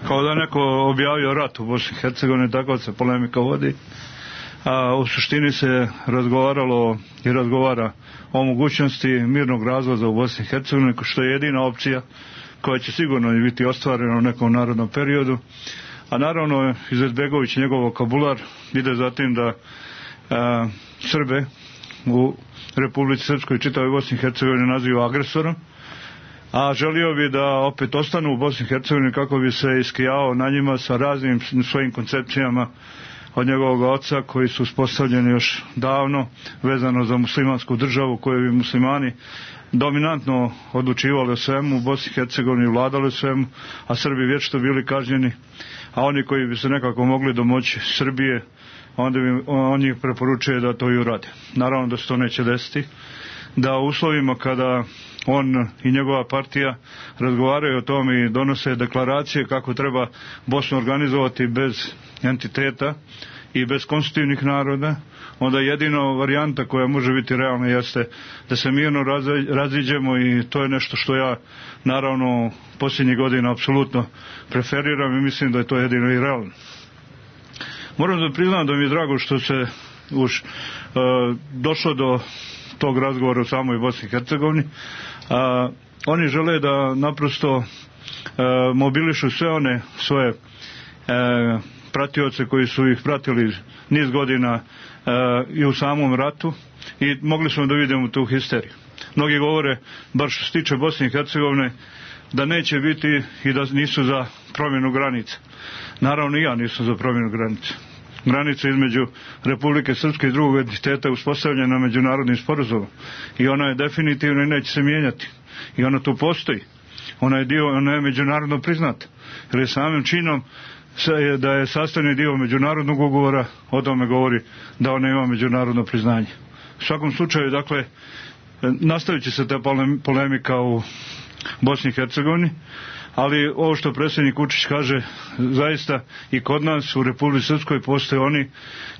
Kao da neko objavio rat u Bosni i Hercegovini, tako se polemika vodi. A u suštini se razgovaralo i razgovara o mogućnosti mirnog razvoza u Bosni i Hercegovini, što je jedina opcija koja će sigurno biti ostvarena u nekom narodnom periodu. A naravno Izetbegović i njegov vokabular ide za tim da a, Srbe u Republici Srpskoj i čitavoj Bosni i Hercegovini naziva agresorom, a želio bi da opet ostanu u Bosni i Hercegovini kako bi se iskijao na njima sa raznim svojim koncepcijama od njegovog oca koji su uspostavljeni još davno vezano za muslimansku državu koju bi muslimani dominantno odlučivali o svemu u Bosni i Hercegovini, vladali o svemu, a Srbi vječito bili kažnjeni, a oni koji bi se nekako mogli domoći Srbije, onda bi on njih preporučuje da to i urade. Naravno da se to neće desiti, da u uslovima kada on i njegova partija razgovaraju o tome i donose deklaracije kako treba Bosnu organizovati bez entiteta i bez konstitutivnih naroda, onda jedino varijanta koja može biti realna jeste da se mirno raziđemo i to je nešto što ja naravno posljednjih godina apsolutno preferiram i mislim da je to jedino i realno. Moram da priznam da mi je drago što se už uh, došlo do tog razgovora u samoj Bosni i Hercegovini. A, oni žele da naprosto a, mobilišu sve one svoje a, pratioce koji su ih pratili niz godina a, i u samom ratu i mogli smo da vidimo tu histeriju. Mnogi govore, bar što se tiče Bosne i Hercegovine, da neće biti i da nisu za promjenu granica. Naravno i ja nisam za promjenu granica. Granica između Republike Srpske i drugog entiteta je uspostavljena međunarodnim sporazumom i ona je definitivno i neće se mijenjati. I ona tu postoji. Ona je dio, ona je međunarodno priznata. Jer je samim činom da je sastavni dio međunarodnog ugovora, o tome govori da ona ima međunarodno priznanje. U svakom slučaju, dakle, nastavit će se ta polemika u Bosni i Hercegovini, ali ovo što predsjednik Vučić kaže, zaista i kod nas u Republici Srpskoj postoje oni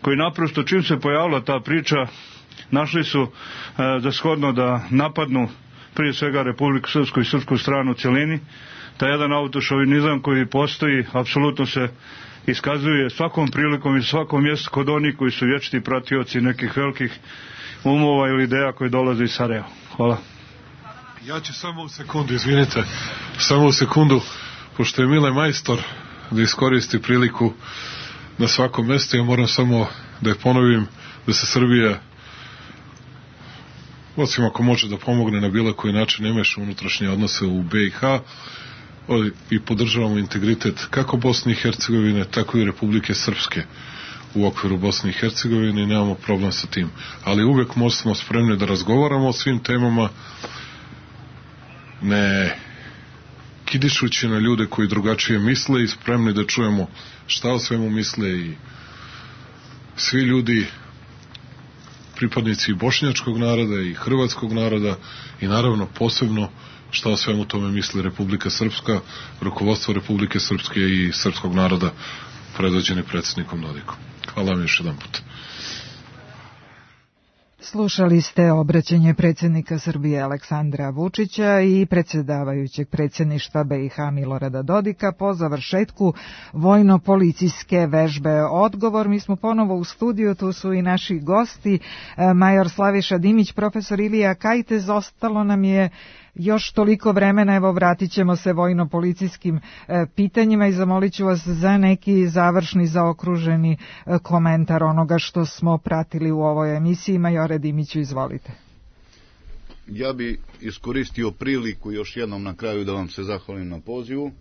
koji naprosto čim se pojavila ta priča našli su e, za shodno da napadnu prije svega Republiku Srpsku i srpsku stranu u cjelini. Taj jedan autošovinizam koji postoji apsolutno se iskazuje svakom prilikom i svakom mjestu kod onih koji su vječiti pratioci nekih velikih umova ili ideja koji dolaze iz Sarajeva. Hvala. Ja ću samo u sekundu, izvinite, samo u sekundu, pošto je Mile majstor da iskoristi priliku na svakom mjestu, ja moram samo da je ponovim da se Srbija, osim ako može da pomogne na bilo koji način, ne meša unutrašnje odnose u B i H i podržavamo integritet kako Bosne i Hercegovine, tako i Republike Srpske u okviru Bosne i Hercegovine i nemamo problem sa tim. Ali uvek smo spremni da razgovaramo o svim temama, ne kidišući na ljude koji drugačije misle i spremni da čujemo šta o svemu misle i svi ljudi, pripadnici bošnjačkog naroda i hrvatskog naroda i naravno posebno šta o svemu tome misli Republika Srpska, rukovodstvo Republike Srpske i srpskog naroda predvođeni predsjednikom Dodikom. Hvala vam još jedan put. Slušali ste obraćanje predsjednika Srbije Aleksandra Vučića i predsjedavajućeg predsjedništva B i H Milorada Dodika po završetku vojno-policijske vežbe Odgovor. Mi smo ponovo u studiju, tu su i naši gosti, major Slaviša Dimić, profesor Ilija Kajtez. Ostalo nam je još toliko vremena, evo vratit ćemo se vojno-policijskim e, pitanjima i zamolit ću vas za neki završni, zaokruženi e, komentar onoga što smo pratili u ovoj emisiji. Majore Dimiću, izvolite. Ja bi iskoristio priliku još jednom na kraju da vam se zahvalim na pozivu. E,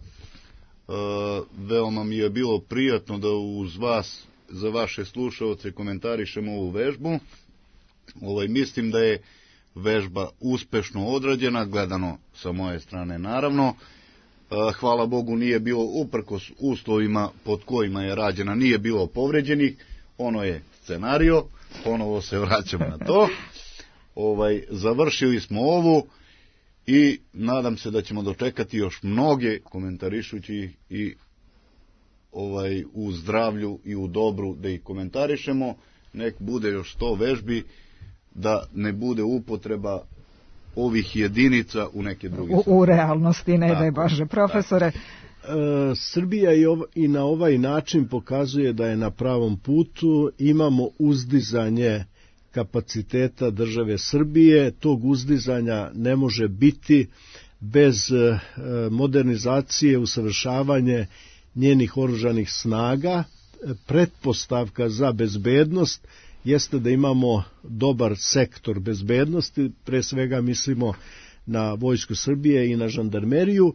veoma mi je bilo prijatno da uz vas, za vaše slušaoce, komentarišemo ovu vežbu. Ovaj, mislim da je vežba uspešno odrađena, gledano sa moje strane naravno. Hvala Bogu nije bilo, uprkos uslovima pod kojima je rađena, nije bilo povređenih. Ono je scenario, ponovo se vraćamo na to. Ovaj, završili smo ovu i nadam se da ćemo dočekati još mnoge komentarišući i ovaj, u zdravlju i u dobru da ih komentarišemo. Nek bude još sto vežbi, da ne bude upotreba ovih jedinica u neke druge u, u realnosti, ne daj Bože. Profesore, e, Srbija i, ov, i na ovaj način pokazuje da je na pravom putu. Imamo uzdizanje kapaciteta države Srbije. Tog uzdizanja ne može biti bez e, modernizacije, usavršavanje njenih oružanih snaga. Pretpostavka za bezbednost jeste da imamo dobar sektor bezbednosti, pre svega mislimo na Vojsku Srbije i na žandarmeriju,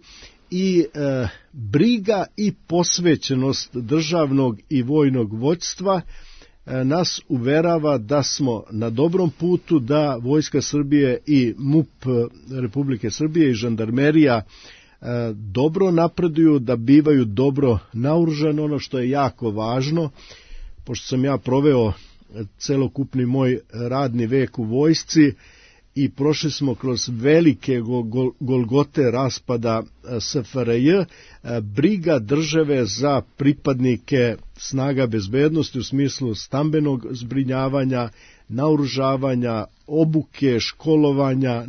i e, briga i posvećenost državnog i vojnog vođstva e, nas uverava da smo na dobrom putu, da Vojska Srbije i MUP Republike Srbije i žandarmerija e, dobro napreduju, da bivaju dobro naoružani, ono što je jako važno, pošto sam ja proveo celokupni moj radni vek u vojsci i prošli smo kroz velike gol, golgote raspada S F R J, briga države za pripadnike snaga bezbednosti u smislu stambenog zbrinjavanja, naoružavanja, obuke, školovanja,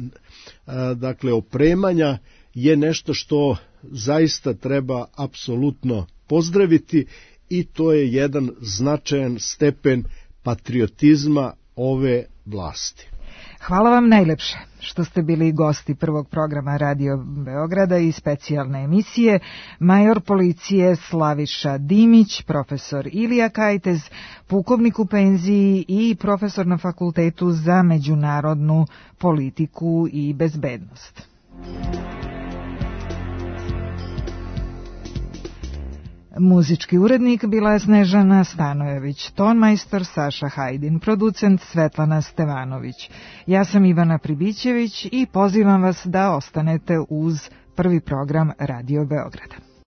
dakle opremanja, je nešto što zaista treba apsolutno pozdraviti i to je jedan značajan stepen patriotizma ove vlasti. Hvala vam najlepše što ste bili gosti prvog programa Radio Beograda i specijalne emisije. Major policije Slaviša Dimić, profesor Ilija Kajtez, pukovnik u penziji i profesor na Fakultetu za međunarodnu politiku i bezbednost. Muzički urednik bila je Snežana Stanojević, tonmajstor Saša Hajdin, producent Svetlana Stevanović. Ja sam Ivana Pribićević i pozivam vas da ostanete uz prvi program Radio Beograda.